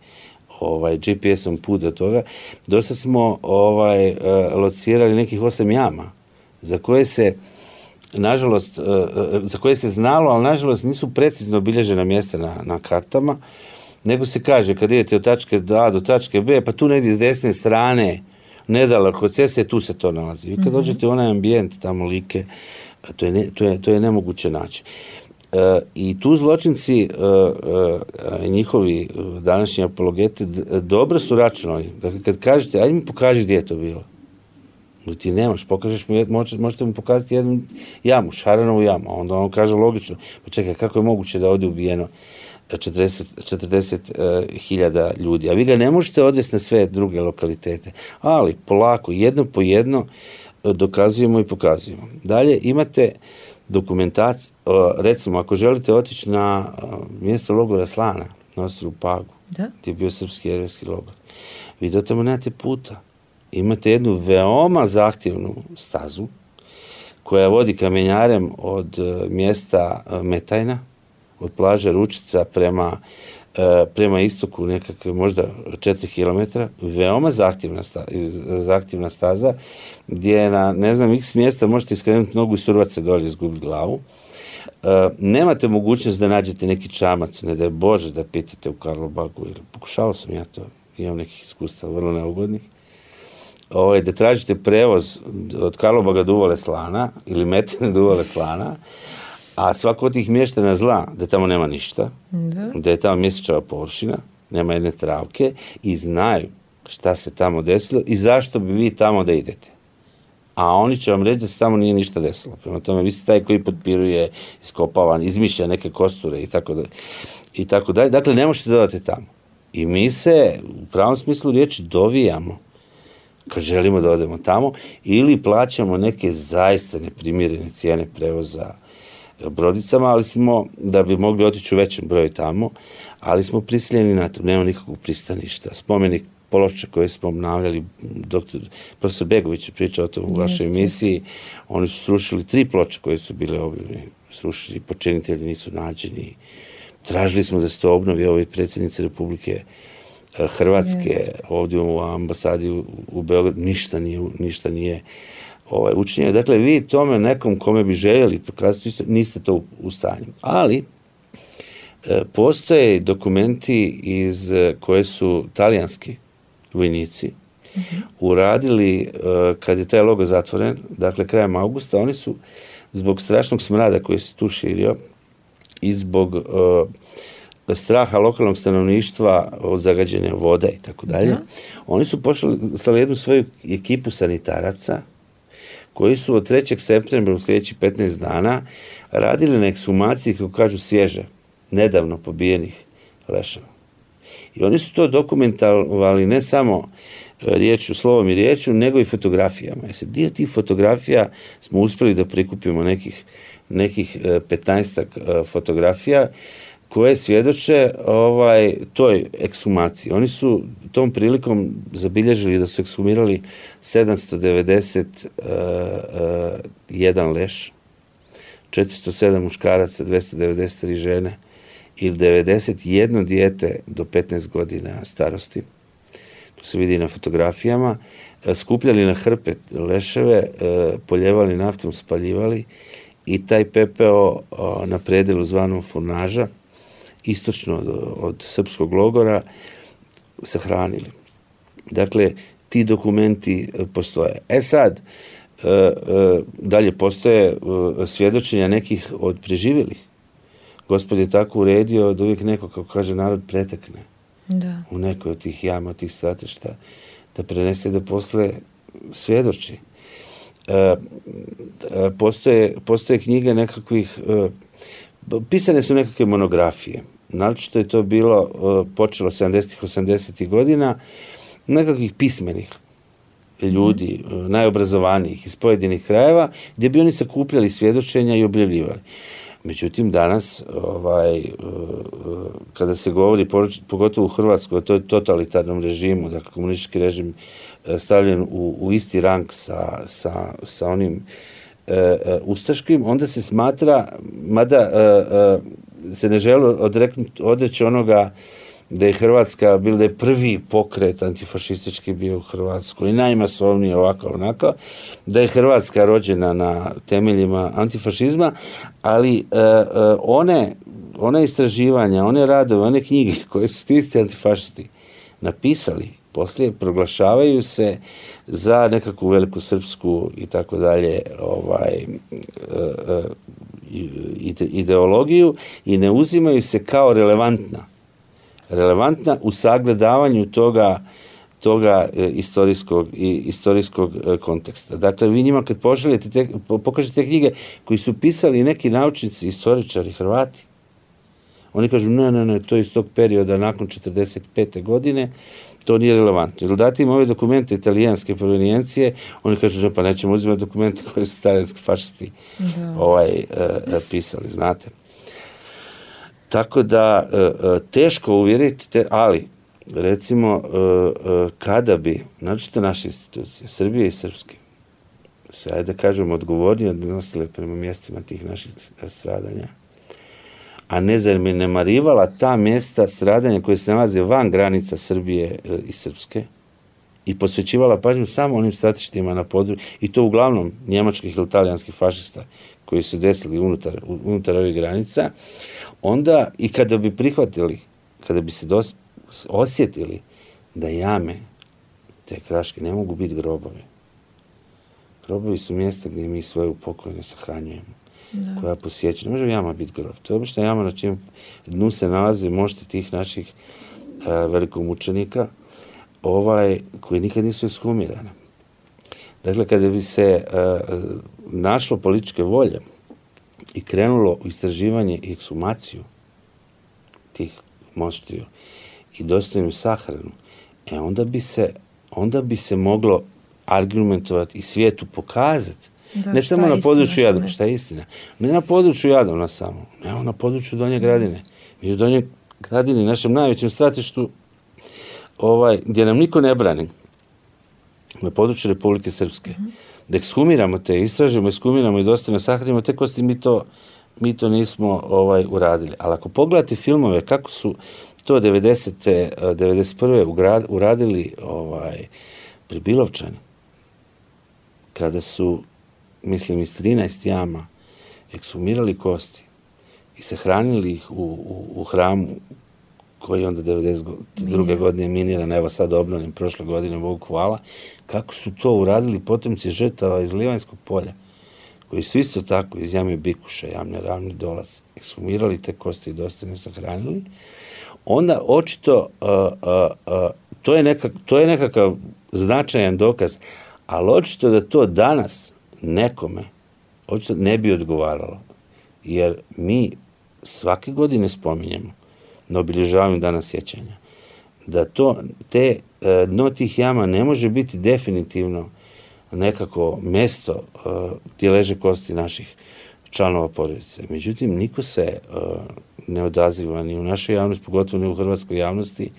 D: ovaj, G P S-om put do toga. Dosta smo ovaj, locirali nekih osam jama za koje se nažalost, za koje se znalo, ali nažalost nisu precizno obilježena mjesta na, na kartama, nego se kaže kad idete od tačke A do tačke B, pa tu negdje s desne strane, nedaleko od ceste, tu se to nalazi. I kad mm-hmm. dođete u onaj ambijent, tamo like, to je, ne, to je, to je nemoguće naći. E, I tu zločinci, e, e, njihovi današnji apologeti, dobro su računali. Dakle, kad kažete, ajde mi pokaži gdje je to bilo. Ti nemaš, pokažeš mu, možete, možete mu pokazati jednu jamu, Šaranovu jamu, a onda on kaže logično, pa čekaj, kako je moguće da ovdje ubijeno četrdeset hiljada ljudi, a vi ga ne možete odvesti na sve druge lokalitete, ali polako, jedno po jedno dokazujemo i pokazujemo. Dalje imate dokumentaciju, recimo, ako želite otići na mjesto logora Slana, na ostrovu Pagu, da? Gdje je bio srpski jevrejski logor, vi do tamo nemate puta. Imate jednu veoma zahtjevnu stazu koja vodi kamenjarem od mjesta Metajna, od plaže Ručica prema, prema istoku nekakve možda četiri kilometra, veoma zahtjevna, sta, zahtjevna staza, gdje na ne znam x mjesta možete iskrenuti nogu i survat se dolje, izgubiti glavu. Nemate mogućnost da nađete neki čamac, ne da je Bože da pitate u Karlobagu, ili pokušao sam ja to, imam nekih iskustva vrlo neugodnih, ovaj, da tražite prevoz od Karlobaga do Uvale Slana ili Metine do Uvale Slana, a svako od tih mještana zna da tamo nema ništa, da, da je tamo mjesečeva površina, nema jedne travke i znaju šta se tamo desilo i zašto bi vi tamo da idete. A oni će vam reći da se tamo nije ništa desilo. Prema tome, vi ste taj koji potpiruje, iskopavan, izmišlja neke kosture i tako da, i tako dalje. Dakle, ne možete dodati tamo. I mi se u pravom smislu riječi dovijamo kad želimo da odemo tamo ili plaćamo neke zaista neprimjerene cijene prevoza brodicama, ali smo, da bi mogli otići u većem broju tamo, ali smo prisiljeni na to, nema nikakvog pristaništa. Spomenik ploče koje smo obnavljali, doktor, profesor Begović je pričao o tom u vašoj emisiji, oni su srušili tri ploče koje su bile obnovljene, srušili, počinitelji nisu nađeni, tražili smo da se to obnovi, ovoj predsjednici Republike Hrvatske, ovdje u ambasadi u, u Beogradu, ništa nije, ništa nije ovaj, učinjeno. Dakle, vi tome nekom kome bi željeli pokazati, niste to u, u stanju. Ali, e, postoje dokumenti iz koje su talijanski vojnici mm-hmm. uradili, e, kad je taj logo zatvoren, dakle, krajem augusta, oni su zbog strašnog smrada koji se tu širio i zbog e, straha lokalnog stanovništva od zagađenja vode i tako dalje, oni su poslali jednu svoju ekipu sanitaraca koji su od trećeg septembra u sljedećih petnaest dana radili na ekshumaciji, kako kažu, svježe, nedavno pobijenih leševa. I oni su to dokumentovali ne samo riječju, slovom i riječju, nego i fotografijama. I sad dio tih fotografija smo uspjeli da prikupimo nekih, nekih petnaestak fotografija koje svjedoče ovaj, toj ekshumaciji. Oni su tom prilikom zabilježili da su ekshumirali sedamsto devedeset jedan leš, četiristo sedam muškaraca, dvjesto devedeset tri žene ili devedeset jedno dijete do petnaest godina starosti. To se vidi na fotografijama. Skupljali na hrpe leševe, poljevali naftom, spaljivali i taj pepeo na predelu zvanom furnaža, istočno od, od srpskog logora, sahranili. Dakle, ti dokumenti postoje. E sad, e, e, dalje postoje e, svjedočenja nekih od preživjelih. Gospod je tako uredio da uvijek neko, kako kaže narod, pretekne da. U nekoj od tih jama, od tih stratišta, da prenese da posle svjedoči. E, e, postoje, postoje knjige nekakvih, e, pisane su nekakve monografije. Naročito je to bilo, e, počelo sedamdesetih osamdesetih godina, nekakvih pismenih ljudi, mm. najobrazovanijih iz pojedinih krajeva, gdje bi oni sakupljali svjedočenja i objavljivali. Međutim, danas, ovaj, kada se govori, pogotovo u Hrvatskoj, o toj totalitarnom režimu, dakle, komunistički režim stavljen u, u isti rang sa, sa, sa onim e, ustaškim, onda se smatra, mada e, e, se ne želi odreknuti, odreći onoga da je Hrvatska, bilo da je prvi pokret antifašistički bio u Hrvatskoj i najmasovniji ovako onako, da je Hrvatska rođena na temeljima antifašizma, ali e, e, one, one istraživanja, one radove, one knjige koje su ti isti antifašisti napisali, poslije proglašavaju se za nekakvu veliku srpsku i tako dalje ovaj, e, e, ide, ideologiju i ne uzimaju se kao relevantna. relevantna u sagledavanju toga, toga e, istorijskog, i, istorijskog e, konteksta. Dakle, vi njima kad pošaljete te, pokažete te knjige koji su pisali neki naučnici, istoričari, Hrvati, oni kažu, ne, ne, ne, to je iz tog perioda nakon četrdeset pete godine, to nije relevantno. Ili dati im ove dokumente italijanske provenijencije, oni kažu, ne, pa nećemo uzimati dokumente koje su talijanski fašisti ovaj, e, e, pisali, znate. Tako da, teško uvjeriti, te, ali, recimo, kada bi, znači naše institucije, Srbije i Srpske, se, ajde da kažem, odgovornije odnosile prema mjestima tih naših stradanja, a ne zanemarivala ta mjesta stradanja koje se nalaze van granica Srbije i Srpske i posvećivala pažnju samo onim stratištima na području, i to uglavnom njemačkih ili talijanskih fašista koji su desili unutar, unutar ovih granica, onda i kada bi prihvatili, kada bi se dos, osjetili da jame te kraške ne mogu biti grobovi. Grobovi su mjesta gdje mi svoje upokojene sahranjujemo, da. Koja posjeća. Ne može jama biti grob. To je obična jama na čijem dnu se nalaze mošti tih naših a, velikomučenika, ovaj, koji nikad nisu ekshumirane. Dakle, kada bi se a, našlo političke volje i krenulo u istraživanje i ekshumaciju tih moštiju i dostojnu sahranu, e onda bi se, onda bi se moglo argumentovati i svijetu pokazati, da, ne samo na području Jadovna, šta je istina, ne na području Jadovna samo, ne na području Donje Gradine. Mi u Donje Gradini, našem najvećem stratištu, ovaj, gdje nam niko ne brani, na području Republike Srpske, mm-hmm. da ekshumiramo te, istražimo, ekshumiramo i dostojno sahranimo te kosti, mi to, mi to nismo ovaj, uradili. Ali ako pogledate filmove, kako su to devedesete, devedeset prve uradili ovaj, Pribilovčani, kada su, mislim, iz trinaest jama ekshumirali kosti i sahranili ih u, u, u hramu koji je onda devedeset druge godine miniran, evo sad obnovljen prošle godine, Bogu hvala, kako su to uradili potomci žrtava iz Livanjskog polja, koji su isto tako iz jame Bikuša, Jamne ravni Dolac, ekshumirali te kosti i dostojno sahranili, onda očito uh, uh, uh, to, je nekak, to je nekakav značajan dokaz, ali očito da to danas nekome očito ne bi odgovaralo, jer mi svake godine spominjemo na obilježavanju dana sjećanja, da to, te dno tih jama ne može biti definitivno nekako mesto uh, gdje leže kosti naših članova porodice. Međutim, niko se uh, ne odaziva ni u našoj javnosti, pogotovo ni u hrvatskoj javnosti,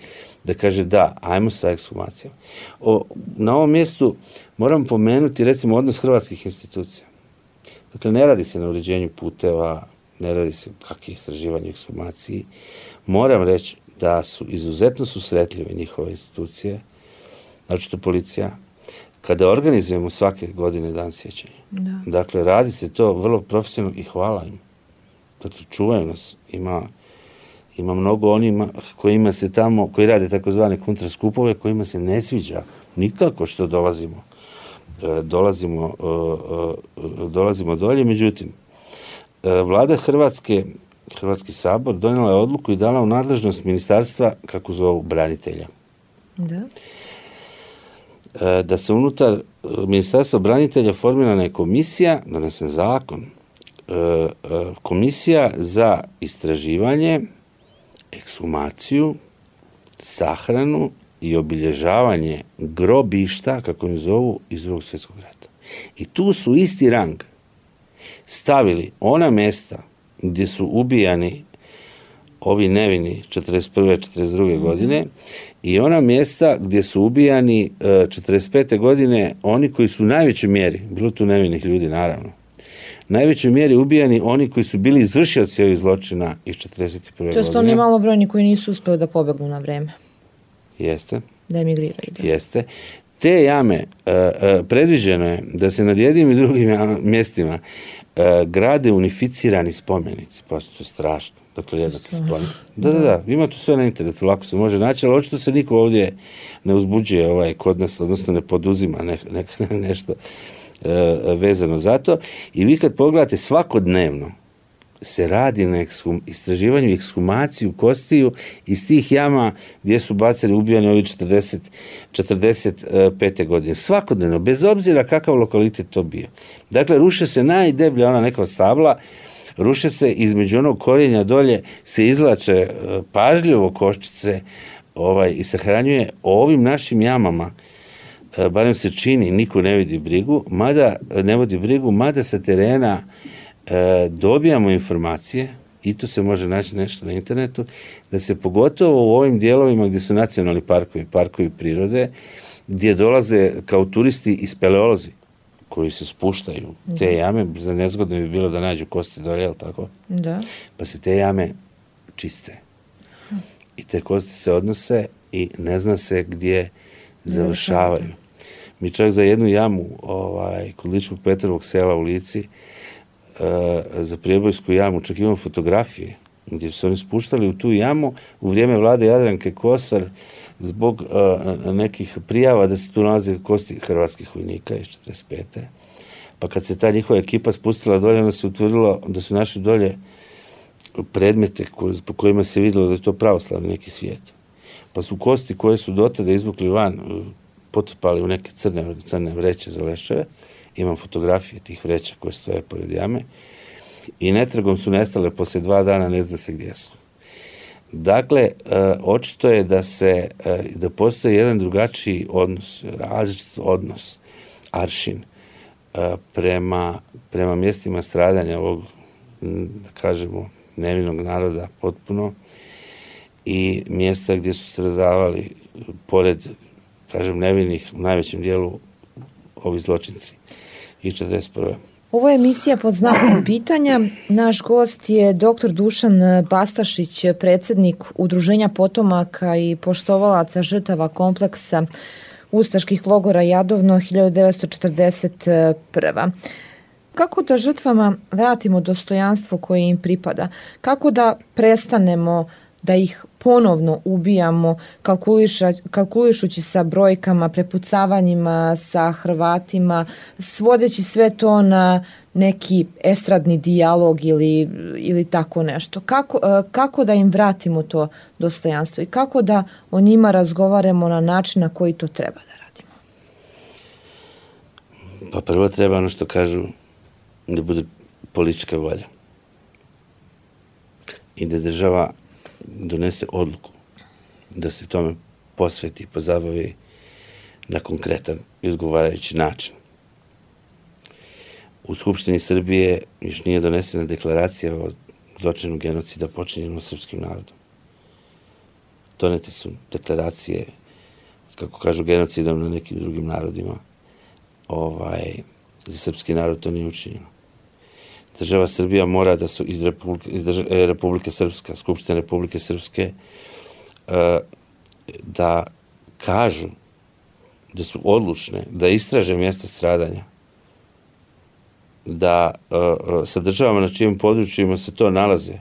D: da kaže da, ajmo sa ekshumacijom. O, na ovom mjestu moram pomenuti recimo odnos hrvatskih institucija. Dakle, ne radi se na uređenju puteva, ne radi se kakve istraživanje ekshumaciji. Moram reći da su izuzetno susretljive njihove institucije, znači to policija, kada organizujemo svake godine dan sjećanja. Da. Dakle, radi se to vrlo profesionalno i hvala im. Dakle, čuvaju nas. Ima, ima mnogo onima kojima se tamo, koji rade takozvane kontraskupove, kojima se ne sviđa nikako što dolazimo. E, dolazimo, e, e, dolazimo dolje. Međutim, e, vlada Hrvatske, Hrvatski sabor, donijela je odluku i dala u nadležnost ministarstva, kako zovu, branitelja. Da. Da se unutar ministarstva branitelja formirana je komisija, donesen zakon, komisija za istraživanje, ekshumaciju, sahranu i obilježavanje grobišta, kako oni zovu, iz Drugog svjetskog rata. I tu su isti rang stavili ona mjesta gdje su ubijani ovi nevini četrdeset prve četrdeset druge godine i ona mjesta gdje su ubijani četrdeset pete godine oni koji su u najvećoj mjeri, bilo tu nevinih ljudi naravno, u najvećoj mjeri ubijani oni koji su bili izvršioci ovih zločina iz četrdeset prve godine.
C: To su oni malobrojni koji nisu uspeli da pobegnu na vreme.
D: Jeste.
C: Da emigriraju. Da.
D: Jeste. Te jame, uh, uh, predviđeno je da se nad jednim i drugim mjestima uh, grade unificirani spomenici. Pa to je strašno. Dakle, jednaki spomenik. Da, da, da. Ima to sve na internetu, lako se može naći, ali očito se niko ovdje ne uzbuđuje ovaj, kod nas, odnosno ne poduzima ne, ne, nešto uh, vezano za to. I vi kad pogledate svakodnevno, se radi na ekshum, istraživanju i ekshumaciju kostiju iz tih jama gdje su bacili ubijani ovi četrdeset, četrdeset pete godine. Svakodnevno, bez obzira kakav lokalitet to bio. Dakle, ruše se najdeblja ona neka stabla, ruše se između onog korijenja dolje, se izlače pažljivo koščice ovaj, i sahranjuje o ovim našim jamama. Barem se čini, niko ne vidi brigu, mada ne vodi brigu, mada sa terena E, dobijamo informacije, i tu se može naći nešto na internetu, da se pogotovo u ovim dijelovima gdje su nacionalni parkovi, parkovi prirode, gdje dolaze kao turisti i speleolozi, koji se spuštaju u te jame, za nezgodno bi bilo da nađu kosti dolje, ali tako?
C: Da.
D: Pa se te jame čiste. I te kosti se odnose i ne zna se gdje završavaju. Mi čak za jednu jamu ovaj, kod Ličkog Petrovog sela u Lici, uh, za Prijebojsku jamu, čak imamo fotografije gdje su oni spuštali u tu jamu u vrijeme vlade Jadranke Kosor zbog uh, nekih prijava da se tu nalaze kosti hrvatskih vojnika iz četrdeset pete. Pa kad se ta njihova ekipa spustila dolje, onda se utvrdilo da su našli dolje predmete koji, po kojima se vidjelo da je to pravoslavni neki svijet. Pa su kosti koje su dotada izvukli van, potopali u neke crne, crne vreće za leševe. Imam fotografije tih vreća koje stoje pored jame. I netragom su nestale poslije dva dana, ne zna se gdje su. Dakle, očito je da se, da postoji jedan drugačiji odnos, različit odnos, aršin, prema, prema mjestima stradanja ovog, da kažemo, nevinog naroda potpuno i mjesta gdje su stradavali pored, kažem, nevinih u najvećem dijelu ovi zločinci i četrdeset prve.
C: Ovo je emisija pod znakom pitanja. Naš gost je doktor Dušan Bastašić, predsjednik Udruženja potomaka i poštovalaca žrtava kompleksa ustaških logora Jadovno hiljadu devetsto četrdeset prve. Kako da žrtvama vratimo dostojanstvo koje im pripada? Kako da prestanemo da ih ponovno ubijamo, kalkuliša, kalkulišući sa brojkama, prepucavanjima sa Hrvatima, svodeći sve to na neki estradni dijalog ili, ili tako nešto? Kako, kako da im vratimo to dostojanstvo i kako da o njima razgovaramo na način na koji to treba da radimo?
D: Pa prvo treba ono što kažu, da bude politička volja i da država donese odluku da se tome posveti, pozabavi na konkretan i odgovarajući način. U Skupštini Srbije još nije donesena deklaracija o zločinu genocida počinjenom srpskim narodom. Donete su deklaracije, kako kažu, genocidom na nekim drugim narodima. Ovaj, za srpski narod to nije učinjeno. Država Srbija mora da su iz Republike, iz države, Republike Srpska, Skupština Republike Srpske, da kažu da su odlučne, da istraže mjesta stradanja, da sa državama na čijim područjima se to nalaze,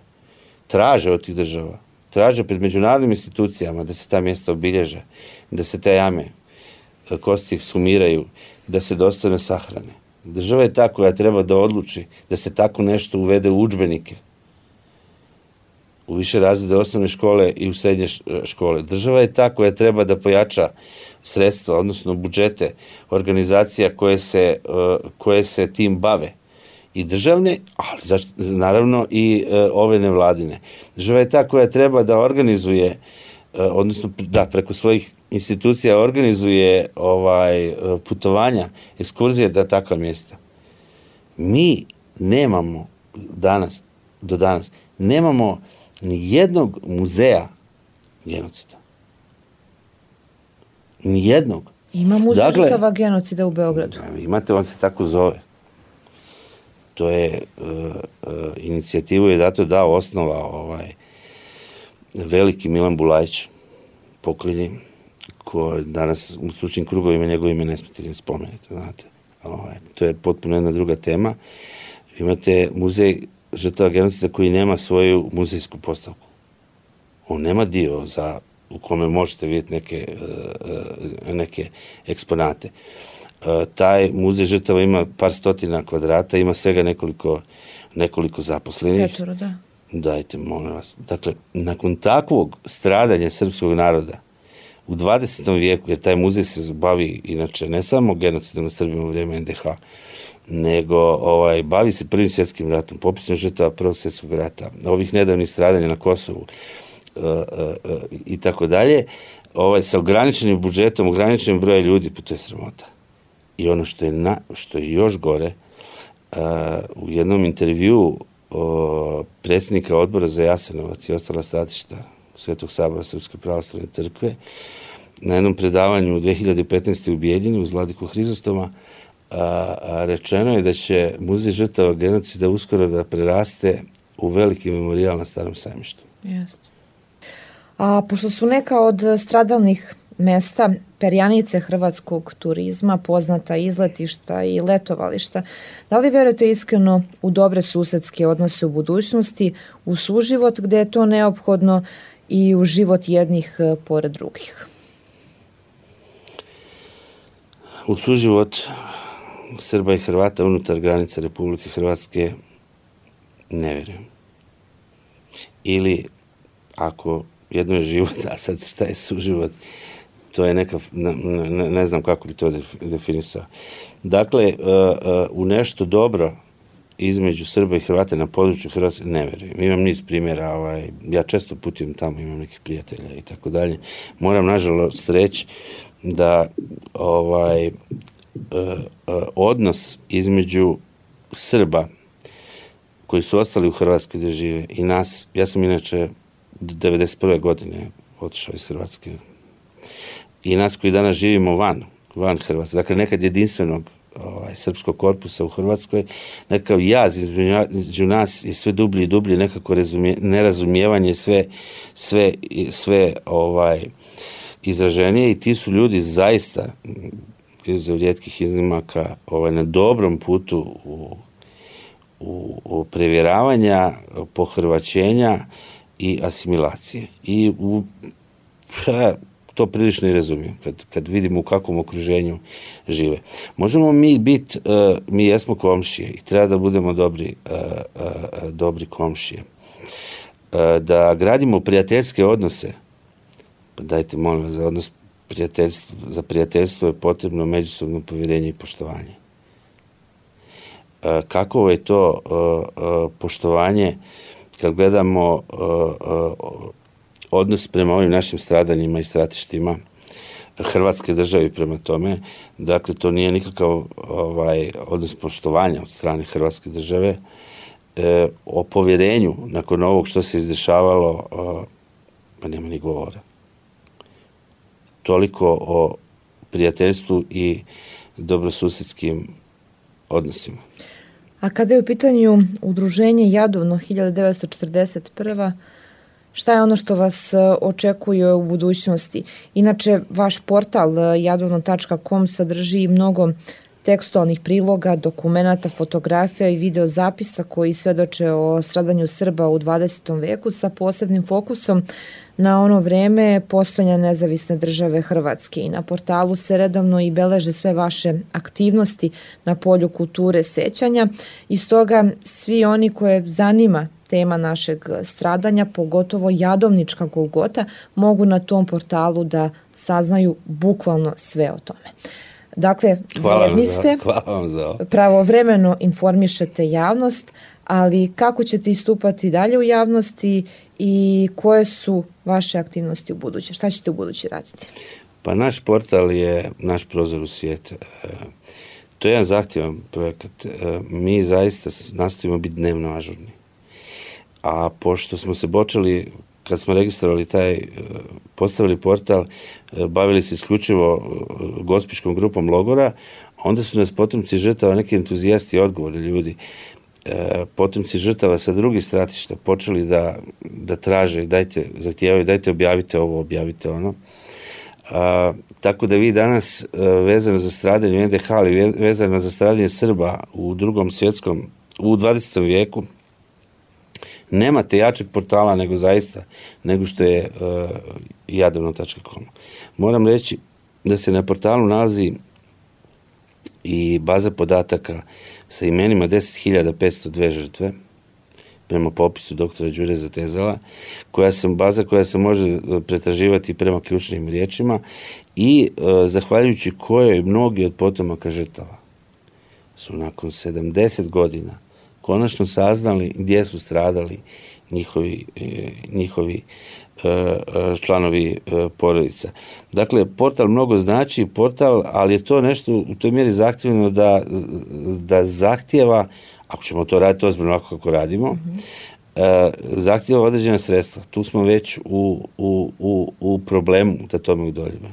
D: traže od tih država, traže pred međunarodnim institucijama da se ta mjesta obilježe, da se te jame, kosti ih sumiraju, da se dostojno sahrane. Država je ta koja treba da odluči da se tako nešto uvede u udžbenike, u više razrede osnovne škole i u srednje škole. Država je ta koja treba da pojača sredstva, odnosno budžete organizacija koje se, koje se tim bave. I državne, ali zašto, naravno i ove nevladine. Država je ta koja treba da organizuje, odnosno da preko svojih institucija organizuje ovaj putovanja, ekskurzije da takva mjesta. Mi nemamo danas, do danas, nemamo ni jednog muzeja genocida. Ni jednog.
C: Ima muzej dakle, žrtava genocida u Beogradu.
D: Imate, on se tako zove. To je, uh, uh, inicijativu je dato dao osnova ovaj veliki Milan Bulajić, pokojni, koji danas u stručnim krugovima njegovo ime ne smijete ni spomenuti, znate. Ovaj, to je potpuno jedna druga tema. Imate muzej žrtava genocida koji nema svoju muzejsku postavku. On nema dio za, u kome možete vidjeti neke, uh, neke eksponate. Uh, taj muzej žrtava ima par stotina kvadrata, ima svega nekoliko, nekoliko zaposlenih.
C: Petoro, da.
D: Dajte, molim vas. Dakle, nakon takvog stradanja srpskog naroda u dvadesetom vijeku, jer taj muzej se bavi inače ne samo genocidom nad Srbima u vrijeme en de ha, nego ovaj, bavi se Prvim svjetskim ratom, popisom žrtava Prvog svjetskog rata, ovih nedavnih stradanja na Kosovu uh, uh, uh, i tako dalje, ovaj, sa ograničenim budžetom, ograničenim brojem ljudi, pa to je sramota. I ono što je, na, što je još gore, uh, u jednom intervjuu o, predsjednika odbora za Jasenovac i ostala stratišta Svetog sabora Srpske pravoslavne crkve, na jednom predavanju u dve hiljade petnaeste u Bijeljini uz vladiku Hrizostoma, a, a rečeno je da će muzej žrtava genocida uskoro da preraste u veliki memorijal na Starom sajmištu.
C: Jeste. A pošto su neka od stradalnih mesta perjanice hrvatskog turizma, poznata izletišta i letovališta, da li verujete iskreno u dobre susedske odnose u budućnosti, u suživot gde je to neophodno i u život jednih pored drugih?
D: U suživot Srba i Hrvata unutar granica Republike Hrvatske ne vjerujem. Ili ako jedno je život, a sad šta je suživot, to je neka, ne, ne, ne znam kako bi to definisao. Dakle, u nešto dobro između Srba i Hrvata na području Hrvatske ne vjerujem. Imam niz primjera, ovaj, ja često putujem tamo, imam nekih prijatelja i tako dalje. Moram nažalost reći da ovaj odnos između Srba koji su ostali u Hrvatskoj da žive i nas, ja sam inače devedeset prve godine otišao iz Hrvatske, i nas koji danas živimo van, van Hrvatske, dakle nekad jedinstvenog ovaj, srpskog korpusa u Hrvatskoj, nekakav jaz između nas i sve dublje i dublje nekako razumije, nerazumijevanje sve, sve, sve ovaj, izraženije, i ti su ljudi zaista iz rijetkih iznimaka ovaj, na dobrom putu u, u, u prevjeravanja, pohrvaćenja i asimilacije. I u, ha, to prilično i razumijem, kad, kad vidimo u kakvom okruženju žive. Možemo mi biti, uh, mi jesmo komšije i treba da budemo dobri, uh, uh, dobri komšije. Uh, da gradimo prijateljske odnose, pa dajte molim vas, za odnos prijateljstvo, za prijateljstvo je potrebno međusobno povjerenje i poštovanje. Uh, kako je to uh, uh, poštovanje kad gledamo uh, uh, odnos prema ovim našim stradanjima i stratištima Hrvatske države prema tome? Dakle, to nije nikakav ovaj, odnos poštovanja od strane Hrvatske države. E, o povjerenju nakon ovog što se izdešavalo, o, pa nema ni govora. Toliko o prijateljstvu i dobrosusedskim odnosima.
C: A kada je u pitanju udruženje Jadovno hiljadu devetsto četrdeset prve. Šta je ono što vas očekuje u budućnosti? Inače, vaš portal jadovno tačka com sadrži mnogo tekstualnih priloga, dokumenata, fotografija i video zapisa koji svedoče o stradanju Srba u dvadesetom veku sa posebnim fokusom na ono vreme postojanja nezavisne države Hrvatske. I na portalu se redovno i beleže sve vaše aktivnosti na polju kulture sećanja, i stoga svi oni koje zanima tema našeg stradanja, pogotovo jadovnička Golgota, mogu na tom portalu da saznaju bukvalno sve o tome. Dakle, vredni ste, pravovremeno informišete javnost, ali kako ćete istupati dalje u javnosti i koje su vaše aktivnosti u buduće? Šta ćete u buduće raditi?
D: Pa naš portal je naš prozor u svijet. To je jedan zahtjevan projekat. Mi zaista nastojimo biti dnevno ažurni. A pošto smo se počeli, kad smo registrovali taj, postavili portal, bavili se isključivo gospiškom grupom logora, onda su nas potomci žrtava, neki entuzijasti i odgovorni ljudi, potomci žrtava sa drugih stratišta počeli da, da traže, dajte, zahtijevaju, dajte objavite ovo, objavite ono. A, tako da vi danas vezano za stradanje u en de ha, ali vezano za stradanje Srba u drugom svjetskom, u dvadesetom vijeku, nemate jačeg portala nego zaista, nego što je uh, jadovno tačka com. Moram reći da se na portalu nalazi i baza podataka sa imenima deset hiljada petsto dvije žrtve, prema popisu doktora Đure Zatezala, koja sam, baza koja se može pretraživati prema ključnim riječima i uh, zahvaljujući kojoj mnogi od potomaka žrtava su nakon sedamdeset godina konačno saznali gdje su stradali njihovi, njihovi članovi porodica. Dakle, portal mnogo znači, portal, ali je to nešto u toj mjeri zahtjevno da, da zahtjeva, ako ćemo to raditi ozbiljno ovako kako radimo, mm-hmm. zahtjeva određena sredstva. Tu smo već u, u, u, u problemu da tome udoljimo.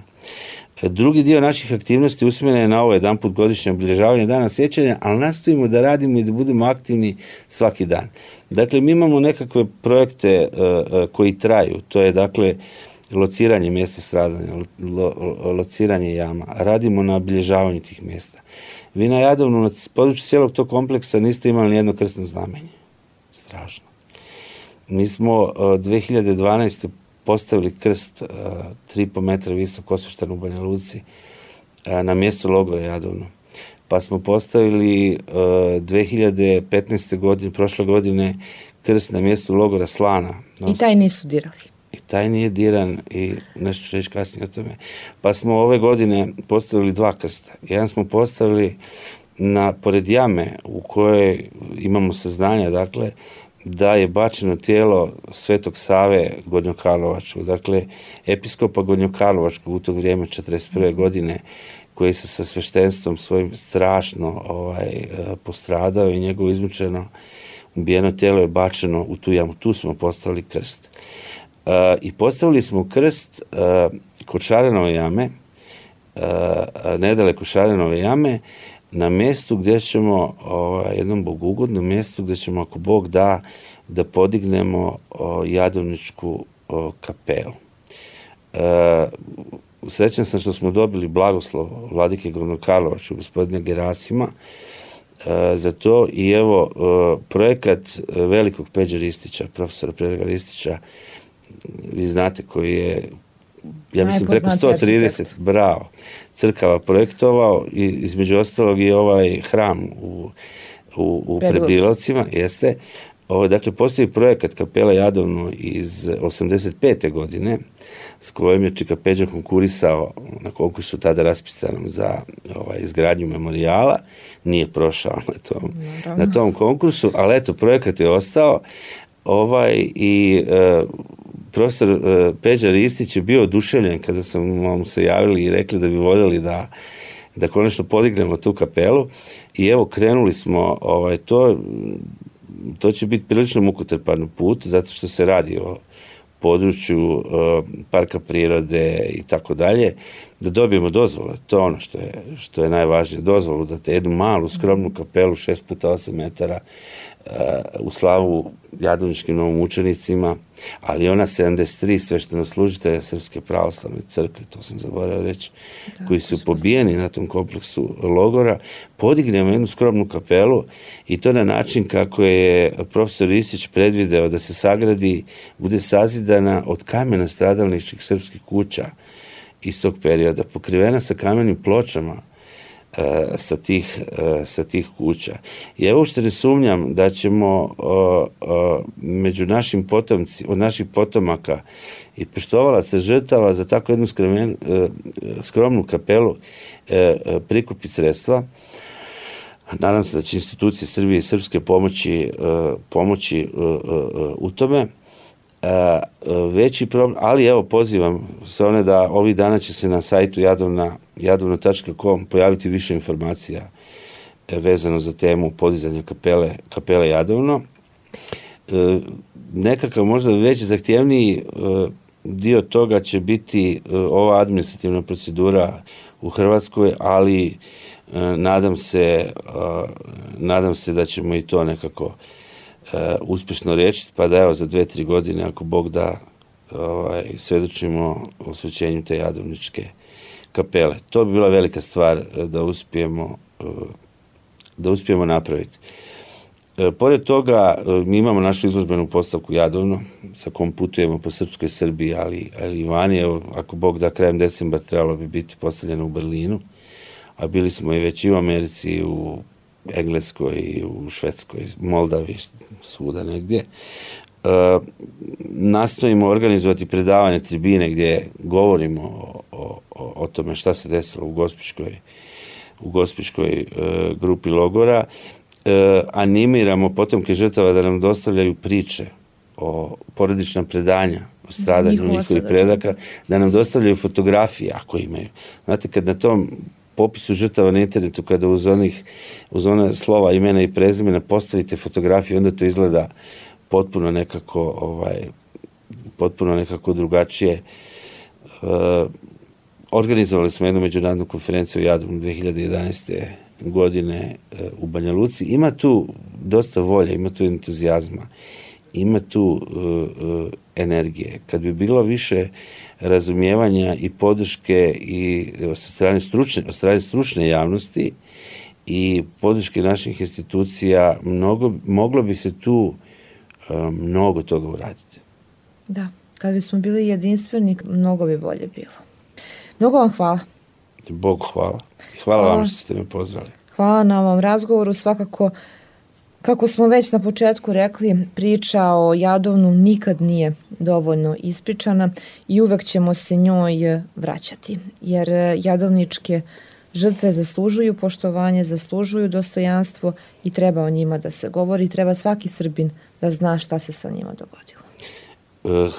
D: Drugi dio naših aktivnosti usmjeren je na ovo jedan put godišnje obilježavanje dana sjećanja, ali nastojimo da radimo i da budemo aktivni svaki dan. Dakle, mi imamo nekakve projekte uh, koji traju, to je dakle lociranje mjesta stradanja, lo, lo, lociranje jama, radimo na obilježavanju tih mjesta. Vi na Jadovnu, na području cijelog tog kompleksa niste imali nijedno krsno znamenje. Strašno. Mi smo uh, dve hiljade dvanaeste postavili krst uh, tri i po metra visok osvješten u Banja Luci uh, na mjestu logora Jadovno. Pa smo postavili uh, dve hiljade petnaeste godine, prošle godine, krst na mjestu logora Slana.
C: I taj nisu dirali.
D: I taj nije diran i nešto ću reći kasnije o tome. Pa smo ove godine postavili dva krsta. Jedan smo postavili na, pored jame u kojoj imamo saznanja, dakle, da je bačeno tijelo Svetog Save Gornjokarlovačkog, dakle, episkopa Gornjokarlovačkog u to vrijeme četrdeset prve godine, koji se sa sveštenstvom svojim strašno ovaj, postradao i njegovo izmučeno ubijeno tijelo je bačeno u tu jamu. Tu smo postavili krst. Uh, I postavili smo krst uh, kod Šarenove jame, uh, nedaleko Šarenove jame, na mjestu gdje ćemo, ovaj, jednom bogugodnom mjestu gdje ćemo, ako Bog da, da podignemo o, Jadovničku o, kapelu. E, srećan sam što smo dobili blagoslov vladike Gornjokarlovačkog, gospodina Gerasima, e, za to i evo, e, projekat velikog Peđe Ristića, profesora Predraga Ristića, vi znate koji je, ja mislim, preko sto trideset, bravo, crkava projektovao i između ostalog i ovaj hram u, u, u Prebilovcima, jeste. Ovo, dakle, postoji projekat kapela Jadovno iz osamdeset pete godine s kojim je Čika Peđa konkurisao na konkursu tada raspisanom za ovaj, izgradnju memorijala. Nije prošao na tom, na tom konkursu, ali eto, projekat je ostao ovaj, i e, profesor e, Peđa Ristić je bio oduševljen kada sam mu se javili i rekli da bi voljeli da, da konačno podignemo tu kapelu i evo krenuli smo, ovaj, to, to će biti prilično mukotrpan put zato što se radi o području e, parka prirode i tako dalje, da dobijemo dozvole, to je ono što je, što je najvažnije, dozvolu da te jednu malu skromnu kapelu šest puta osam metara u slavu jadovničkim novomučenicima, ali ona sedamdeset tri sveštenoslужitelja Srpske pravoslavne crkve, to sam zaboravio reći, da, koji su pobijeni na tom kompleksu logora, podignemo jednu skromnu kapelu i to na način kako je profesor Ristić predvideo da se sagradi, bude sazidana od kamena stradalničkih srpskih kuća iz tog perioda, pokrivena sa kamenim pločama sa tih, sa tih kuća. I evo što ne sumnjam da ćemo o, o, među našim potomci, od naših potomaka i poštovalaca žrtava za tako jednu skromen, skromnu kapelu prikupiti sredstva. Nadam se da će institucije Srbije i Srpske pomoći, pomoći u tome. Veći problem, ali evo pozivam sve one da ovih dana će se na sajtu jadovna jadovna tačka com pojaviti više informacija vezano za temu podizanja kapele, kapele Jadovno. E, nekakav možda već zahtjevniji e, dio toga će biti e, ova administrativna procedura u Hrvatskoj, ali e, nadam se e, nadam se da ćemo i to nekako e, uspješno riješiti, pa da evo za dve, tri godine, ako Bog da, ovaj, svedočimo osvećenju te jadovničke kapele. To bi bila velika stvar da uspijemo, da uspijemo napraviti. Pored toga, mi imamo našu izložbenu postavku Jadovno, sa kom putujemo po srpskoj Srbiji, ali, ali i vani, evo, ako Bog da, krajem decembra trebalo bi biti postavljeno u Berlinu, a bili smo i već i u Americi, u Engleskoj, i u Švedskoj, Moldavi, svuda negdje. E, nastojimo organizovati predavanje tribine gdje govorimo o, o, o tome šta se desilo u Gospićkoj, u Gospićkoj e, grupi logora. E, animiramo potomke žrtava da nam dostavljaju priče o porodična predanja, o stradanju njihovih predaka, da nam dostavljaju fotografije ako imaju. Znate, kad na tom popisu žrtava na internetu, kada uz onih, uz ona slova, imena i prezimena postavite fotografiju, onda to izgleda potpuno nekako, ovaj, potpuno nekako drugačije. E, organizovali smo jednu međunarodnu konferenciju u Jadovnu dve hiljade jedanaeste godine u Banja Luci. Ima tu dosta volje, ima tu entuzijazma, ima tu uh, uh, energije. Kad bi bilo više razumijevanja i podrške i sa strane stručne, od strane stručne javnosti i podrške naših institucija, mnogo, moglo bi se tu uh, mnogo toga uraditi.
C: Da, kad bismo bili jedinstveni, mnogo bi bolje bilo. Mnogo vam hvala.
D: Bogu hvala. Hvala, hvala vam što ste me pozvali.
C: Hvala na ovom razgovoru. Svakako, kako smo već na početku rekli, priča o Jadovnu nikad nije dovoljno ispričana i uvek ćemo se njoj vraćati. Jer jadovničke žrtve zaslužuju poštovanje, zaslužuju dostojanstvo i treba o njima da se govori. Treba svaki Srbin da zna šta se sa njima dogodilo.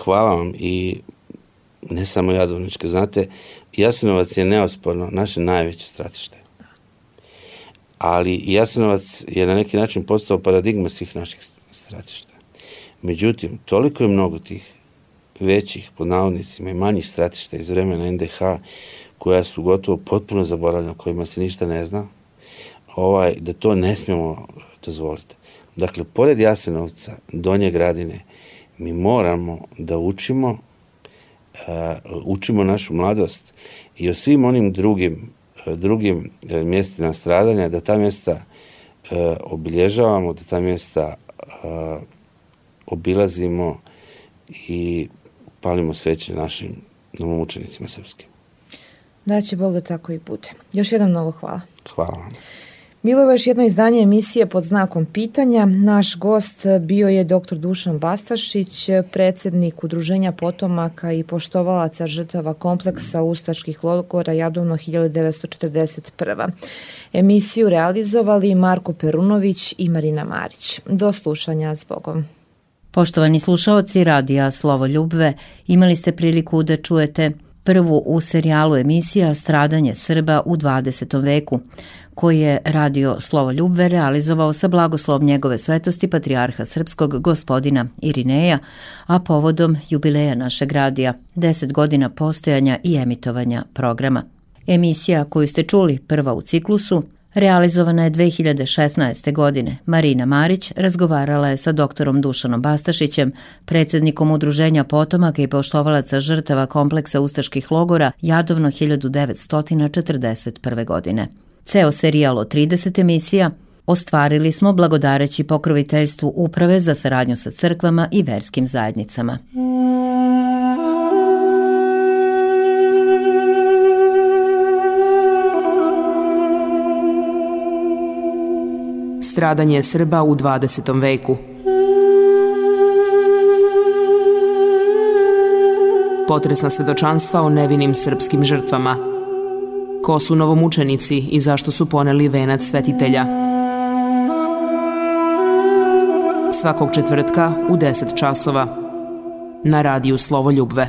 D: Hvala vam i ne samo jadovničke. Znate, Jasenovac je neosporno naše najveće stratište. Ali Jasenovac je na neki način postao paradigma svih naših stratišta. Međutim, toliko je mnogo tih većih, pod navodnicima, i manjih stratišta iz vremena en de ha, koja su gotovo potpuno zaboravljena, kojima se ništa ne zna, ovaj, da to ne smijemo dozvoliti. Dakle, pored Jasenovca, Donje Gradine, mi moramo da učimo, uh, učimo našu mladost i o svim onim drugim drugim mjestima stradanja, da ta mjesta uh, obilježavamo, da ta mjesta uh, obilazimo i palimo sveće našim novomučenicima srpskim.
C: Da će Bog da tako i bude. Još jednom mnogo hvala.
D: Hvala vam.
C: Bilo je još jedno izdanje emisije Pod znakom pitanja. Naš gost bio je doktor Dušan Bastašić, predsjednik Udruženja potomaka i poštovalaca žrtava kompleksa ustaških logora Jadovno hiljadu devetsto četrdeset prva. Emisiju realizovali Marko Perunović i Marina Marić. Do slušanja, s Bogom.
B: Poštovani slušaoci Radija Slovo Ljubve, imali ste priliku da čujete prvu u serijalu emisija Stradanje Srba u dvadesetom veku, koji je Radio Slovo Ljubve realizovao sa blagoslovom njegove svetosti patrijarha srpskog gospodina Irineja, a povodom jubileja našeg radija, deset godina postojanja i emitovanja programa. Emisija koju ste čuli, prva u ciklusu, realizovana je dve hiljade šesnaeste. godine. Marina Marić razgovarala je sa doktorom Dušanom Bastašićem, predsjednikom Udruženja potomaka i poštovalaca žrtava kompleksa ustaških logora Jadovno hiljadu devetsto četrdeset prve. godine. Ceo serijal od trideset emisija ostvarili smo blagodareći pokroviteljstvu Uprave za saradnju sa crkvama i verskim zajednicama.
A: Stradanje Srba u dvadesetom veku. Potresna svedočanstva o nevinim srpskim žrtvama. Ko su novomučenici i zašto su poneli venac svetitelja? Svakog četvrtka u deset časova na radiju Slovo Ljubve.